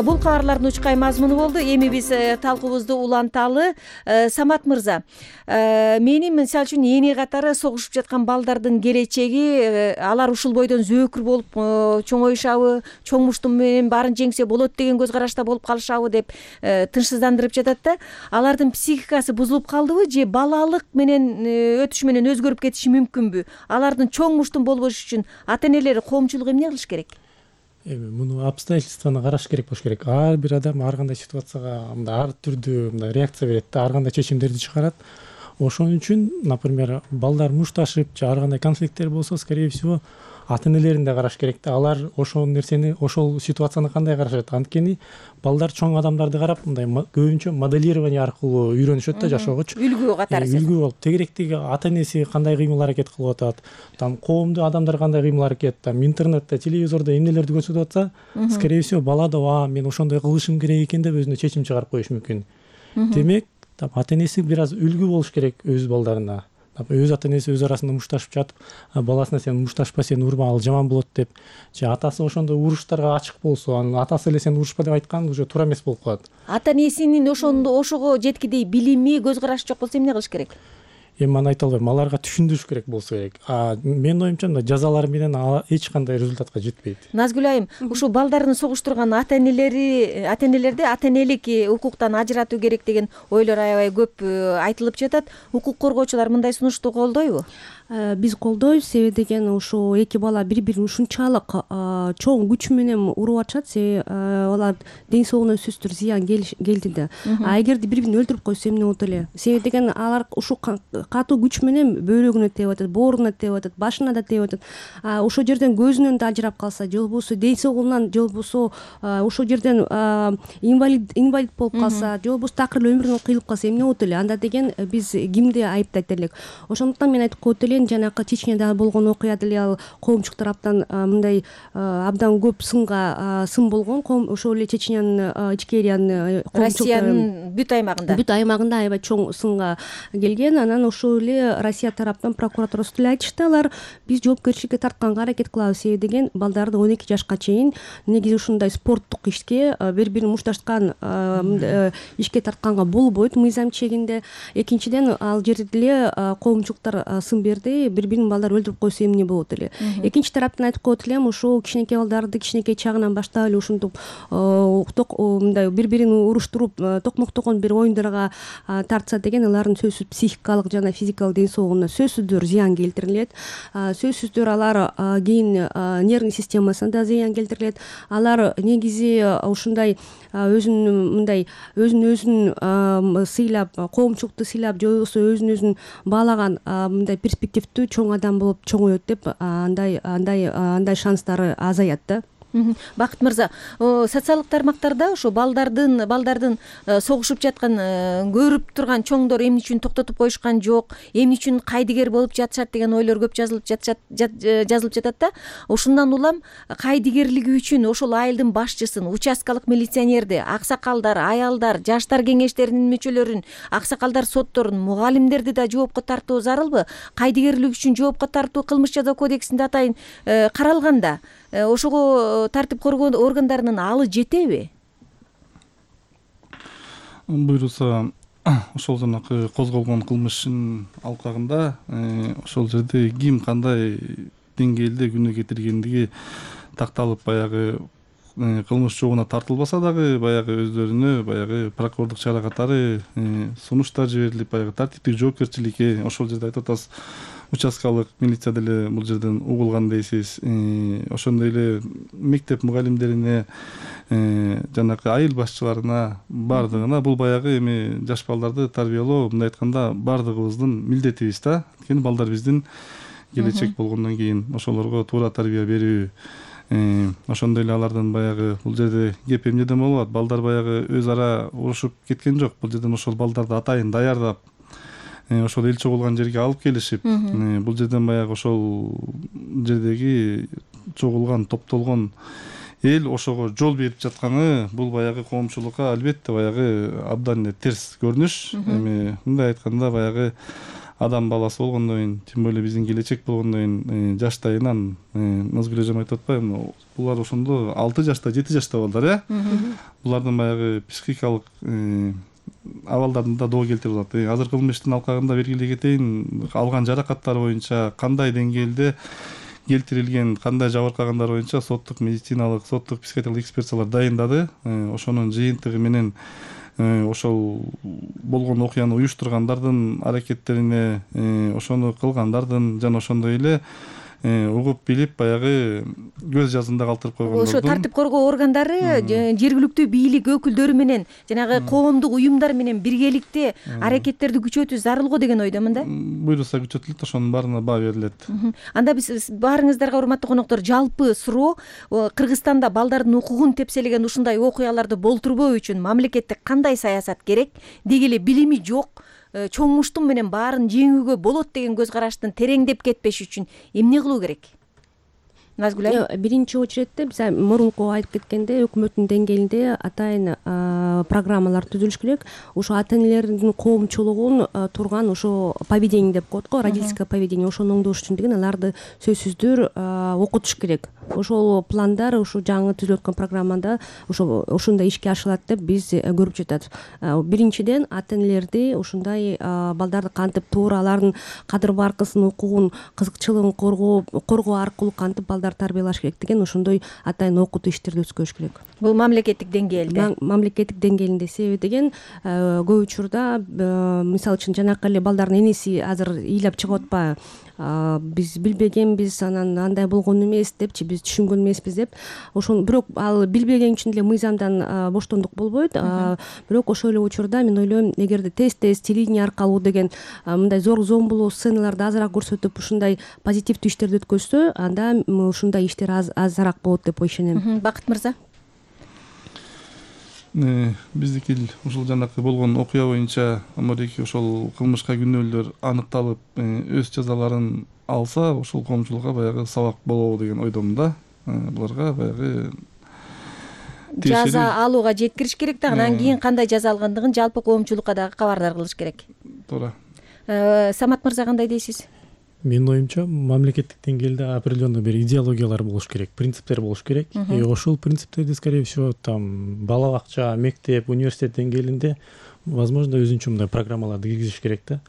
M: Бул кабарлардын учкай мазмуну болду. Эми биз талкуубузду уланталы. Самат мырза, менин мисалы үчүн эне катары согушуп жаткан балдардын келечеги, алар ушул бойдон зөөкүр болуп чоңоюшабы, чоң муштум менен баарын жеңсе болот деген көз карашта болуп калышабы деп тынчсыздандырып жатат да. Алардын психикасы бузулуп калдыбы же балалык менен өтүш менен өзгөрүп кетиши мүмкүнбү? Алардын чоң муштум болбош үчүн ата-энелер коомчулук эмне кылыш керек?
P: Эми муну обстоятельствону караш керек болуш керек. Ар бир адам ар кандай ситуацияга мындай ар түрдүү мындай реакция берет да, ар кандай чечимдерди чыгарат. Ошон үчүн, например, балдар мушташып же ар кандай конфликттер болсо, скорее всего, ата-энелерин да караш керек да. Алар ошол нерсени, ошол ситуацияны кандай карашат? Анткени балдар чоң адамдарды карап, мындай көбүнчө моделирование аркылуу үйрөнүшөт да жашоогочу.
M: Үлгү катары.
P: Үлгү болуп, тегеректеги ата-энеси кандай кыймыл аракет кылып атат, там коомдуу адамдар кандай кыймыл аракет, там интернетте, телевизордо эмнелерди көрсөтүп атса, скорее всего, бала да а мен ошондой кылышым керек экен деп өзүнө чечим чыгарып коюшу мүмкүн. Демек, ата-энеси бир аз үлгү болуш керек өз балдарына. Өз ата-энеси өз арасында мушташып жатып, баласына сен мушташпа, сен урма, ал жаман болот деп, же атасы ошондой уруштарга ачык болсо, анын атасы эле сен урушпа деп айткан уже туура эмес болуп калат.
M: Ата-энесинин ошондо ошого жеткидей билими, көз карашы жок болсо эмне кылыш керек?
P: Эми аны айта албайм, аларга түшүндүрүш керек болсо керек. А менин оюмча мындай жазалар менен эч кандай результатка жетпейт.
M: Назгүл айым, ушул балдарын согуштурган ата-энелери, ата-энелерди ата-энелик укуктан ажыратуу керек деген ойлор аябай көп айтылып жатат. Укук коргоочулар мындай сунушту колдойбу?
O: Биз колдойбуз, себеби деген ушул эки бала бири-бирин ушунчалык чоң күч менен уруп атышат, себеби алар ден соолугуна сөзсүз зыян келди да. А эгерде бири-бирин өлтүрүп койсо эмне болот эле? Себеби деген алар ушул катуу күч менен бөйрөгүнө тееп атат, бооруна тееп атат, башына да тееп атат. Ошол жерден көзүнөн да ажырап калса, же болбосо ден соолугунан, же болбосо ошол жерден инвалид инвалид болуп калса, же болбосо такыр эле өмүрүнөн кыйылып калса эмне болот эле? Анда деген биз кимди айыптайт элек? Ошондуктан мен айтып коет элем, жанакы Чечняда болгон окуя деле ал коомчулук тараптан мындай абдан көп сынга сын болгон. Ошол эле Чечнянын, Ичкериянын,
M: Россиянын бүт аймагында
O: бүт аймагында аябай чоң сынга келген. Анан ошол эле Россия тараптан прокуратурасы деле айтышты, алар биз жоопкерчиликке тартканга аракет кылабыз, себеби деген балдарды он эки жашка чейин негизи ушундай спорттук ишке, бири-бирин мушташкан ишке тартканга болбойт мыйзам чегинде. Экинчиден, ал жерде деле коомчулуктар сын берди, бири-бирин балдар өлтүрүп койсо эмне болот эле? Экинчи тараптан айтып коет элем, ошол кичинекей балдарды кичинекей чагынан баштап эле ушинтип мындай бири-бирин уруштуруп токмоктогон бир оюндарга тартса деген, алардын сөзсүз психикалык жана балдардын физикалык ден соолугуна сөзсүздөр зыян келтирилет. Сөзсүздөр алар кийин нервный системасына да зыян келтирилет. Алар негизи ушундай өзүн мындай өзүн өзүн сыйлап, коомчулукту сыйлап же болбосо өзүн өзүн баалаган мындай перспективдүү чоң адам болуп чоңоет деп андай андай андай шанстары азаят да.
M: Бакыт мырза, социалдык тармактарда ошо балдардын балдардын согушуп жаткан көрүп турган чоңдор эмне үчүн токтотуп коюшкан жок, эмне үчүн кайдыгер болуп жатышат деген ойлор көп жазылып жатат жазылып жатат да. Ошондон улам кайдыгерлиги үчүн ошол айылдын башчысын, участкалык милиционерди, аксакалдар, аялдар, жаштар кеңештеринин мүчөлөрүн, аксакалдар сотторун, мугалимдерди да жоопко тартуу зарылбы? Кайдыгерлик үчүн жоопко тартуу кылмыш жаза кодексинде атайын каралганда ошого тартип коргоо органдарынын алы жетеби?
N: Буйруса ошол жанакы козголгон кылмыштын алкагында ошол жерде ким кандай деңгээлде күнөө кетиргендиги такталып, баягы кылмыш жообуна тартылбаса дагы баягы өздөрүнө баягы прокурордук чара катары сунуштар жиберилип, баягы тартиптик жоопкерчиликке ошол жерде айтып атасыз. Участкалык милиция деле бул жерден угулган дейсиз. Ошондой эле мектеп мугалимдерине, жанакы айыл башчыларына бардыгына бул баягы эми жаш балдарды тарбиялоо, мындай айтканда бардыгыбыздын милдетибиз да. Анткени балдар биздин келечек болгондон кийин ошолорго туура тарбия берүү. Ошондой эле алардын баягы бул жерде кеп эмнеден болуп атат? Балдар баягы өз ара урушуп кеткен жок. Бул жерден ошол балдарды атайын даярдап ошол эл чогулган жерге алып келишип, бул жерден баягы ошол жердеги чогулган, топтолгон эл ошого жол берип жатканы бул баягы коомчулукка албетте баягы абдан эле терс көрүнүш. Эми мындай айтканда баягы адам баласы болгондон кийин, тем более биздин келечек болгондон кийин жаштайынан Назгүл эжем айтып атпайбы, булар ошондо алты жашта, жети жашта балдар, э? Булардын баягы психикалык абалдарын да доо келтирип атат. Азыр кылмыштын алкагында бергилей кетейин, алган жаракаттары боюнча кандай деңгээлде келтирилген, кандай жабыркагандар боюнча соттук медициналык, соттук психиатриялык экспертиялар дайындады. Ошонун жыйынтыгы менен ошол болгон окуяны уюштургандардын аракеттерине, ошону кылгандардын жана ошондой эле угуп билип баягы көз жазында калтырып койгондордун,
M: ошо тартип коргоо органдары жергиликтүү бийлик өкүлдөрү менен жанагы коомдук уюмдар менен биргеликте аракеттерди күчөтүү зарыл го деген ойдомун да.
N: Буйруса күчөтүлөт, ошонун баарына баа берилет.
M: Анда биз баарыңыздарга, урматтуу коноктор, жалпы суроо Кыргызстанда балдардын укугун тепселеген ушундай окуяларды болтурбоо үчүн мамлекетте кандай саясат керек? Деги эле билими жок чоң муштум менен баарын жеңүүгө болот деген көз караштын тереңдеп кетпеш үчүн эмне кылуу керек? Назгүл айым.
O: Биринчи очередте биз мурунку айтып кеткенде өкмөттүн деңгээлинде атайын программалар түзүлүш керек. Ошо ата энелердин коомчулугун турган ошо поведение деп коет го, родительское поведение, ошону оңдош үчүн деген аларды сөзсүздөр окутуш керек. Ошол пландар ушу жаңы түзүлүп аткан программада ошо ошондой ишке ашырылат деп биз көрүп жатат. Биринчиден ата энелерди ушундай балдарды кантип туура алардын кадыр баркысын, укугун, кызыкчылыгын коргоо коргоо аркылуу кантип балдар тарбиялаш керек деген ошондой атайын окутуу иштерди өткөрүш керек.
M: Бул мамлекеттик деңгээлде.
O: Мамлекеттик деңгээлинде. Себеби деген көп учурда мисалы үчүн жанакы эле балдардын энеси азыр ыйлап чыгып атпайбы? Биз билбегенбиз, анан андай болгон эмес депчи, биз түшүнгөн эмеспиз деп. Ошону бирок ал билбеген үчүн деле мыйзамдан боштондук болбойт. Бирок ошол эле учурда мен ойлойм, эгерде тез-тез телевидение аркылуу деген мындай зор зомбулуу сценаларды азыраак көрсөтүп, ушундай позитивдүү иштерди өткөзсө, анда ушундай иштер азыраак болот деп ишенем.
M: Бакыт мырза.
N: Биздики ушул жанакы болгон окуя боюнча амадеки ошол кылмышка күнөөлөр аныкталып, өз жазаларын алса, ошол коомчулукка баягы сабак болобу деген ойдомун да. Буларга баягы
M: жаза алууга жеткириш керек да, анан кийин кандай жаза алгандыгын жалпы коомчулукка дагы кабардар кылыш керек.
N: Туура.
M: Самат мырза, кандай дейсиз?
P: Менин оюмча, мамлекеттик деңгээлде определенный бир идеологиялар болуш керек, принциптер болуш керек. И ошол принциптерди, скорее всего, там бала бакча, мектеп, университет деңгээлинде возможно өзүнчө мындай программаларды киргизиш керек да.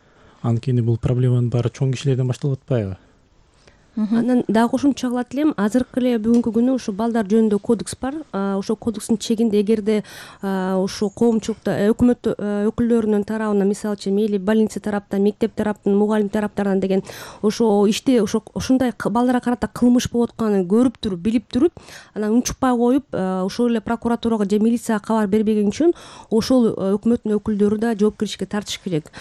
P: Анткени бул проблеманын баары чоң кишилерден башталып атпайбы?
O: анан дагы кошумча кылат элем, азыркы эле бүгүнкү күнү ушу балдар жөнүндө кодекс бар. Ошол кодекстин чегинде эгерде ушу коомчулукта өкмөт өкүлдөрүнүн тарабынан, мисалы үчүн мейли больница тараптан, мектеп тараптан, мугалим тараптарынан деген ошо иште ошо ушундай балдарга карата кылмыш болуп атканын көрүп туруп, билип туруп, анан унчукпай коюп, ошол эле прокуратурага же милицияга кабар бербеген үчүн ошол өкмөттүн өкүлдөрү да жоопкерчиликке тартыш керек.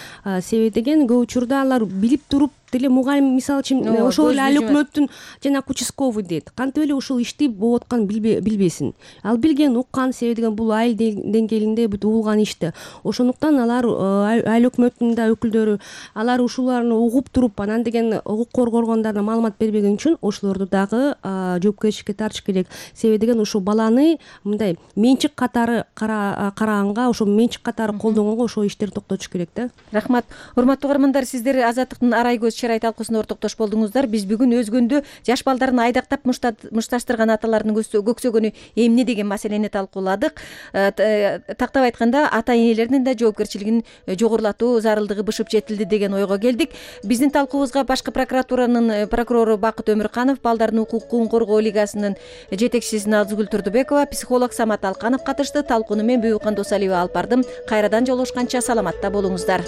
O: Себеби деген көп учурда алар билип туруп деле мугалим, мисалы үчүн ошол эле ал өкмөттүн жанагы участковый дейт, кантип эле ушул ишти болуп атканын билбесин. Ал билген, уккан, себеби деген бул айыл деңгээлинде бүт угулган ишти. Ошондуктан алар айыл өкмөттүнүн да өкүлдөрү алар ушуларны угуп туруп, анан деген укук коргоо органдарына маалымат бербеген үчүн ошолорду дагы жоопкерчиликке тартыш керек. Себеби деген ушул баланы мындай менчик катары караганга, ошо менчик катары колдонгонго ошол иштерди токтотуш керек да.
M: Рахмат. Урматтуу угармандар, сиздер Азаттыктын арай көз чырай талкуусуна ортоктош болдуңуздар. Биз бүгүн өзгөндө жаш балдарын айдактап мушташтырган аталардын көксөгөнү эмне деген маселени талкууладык. Тактап айтканда, ата энелердин да жоопкерчилигин жогорулатуу зарылдыгы бышып жетилди деген ойго келдик. Биздин талкуубузга башкы прокуратуранын прокурору Бакыт Өмүрканов, балдардын укугун коргоо лигасынын жетекчиси Назгүл Турдубекова, психолог Самат Алканов катышты. Талкууну мен Бүйүкан Досалиева алып бардым. Кайрадан жолугушканча саламатта болуңуздар.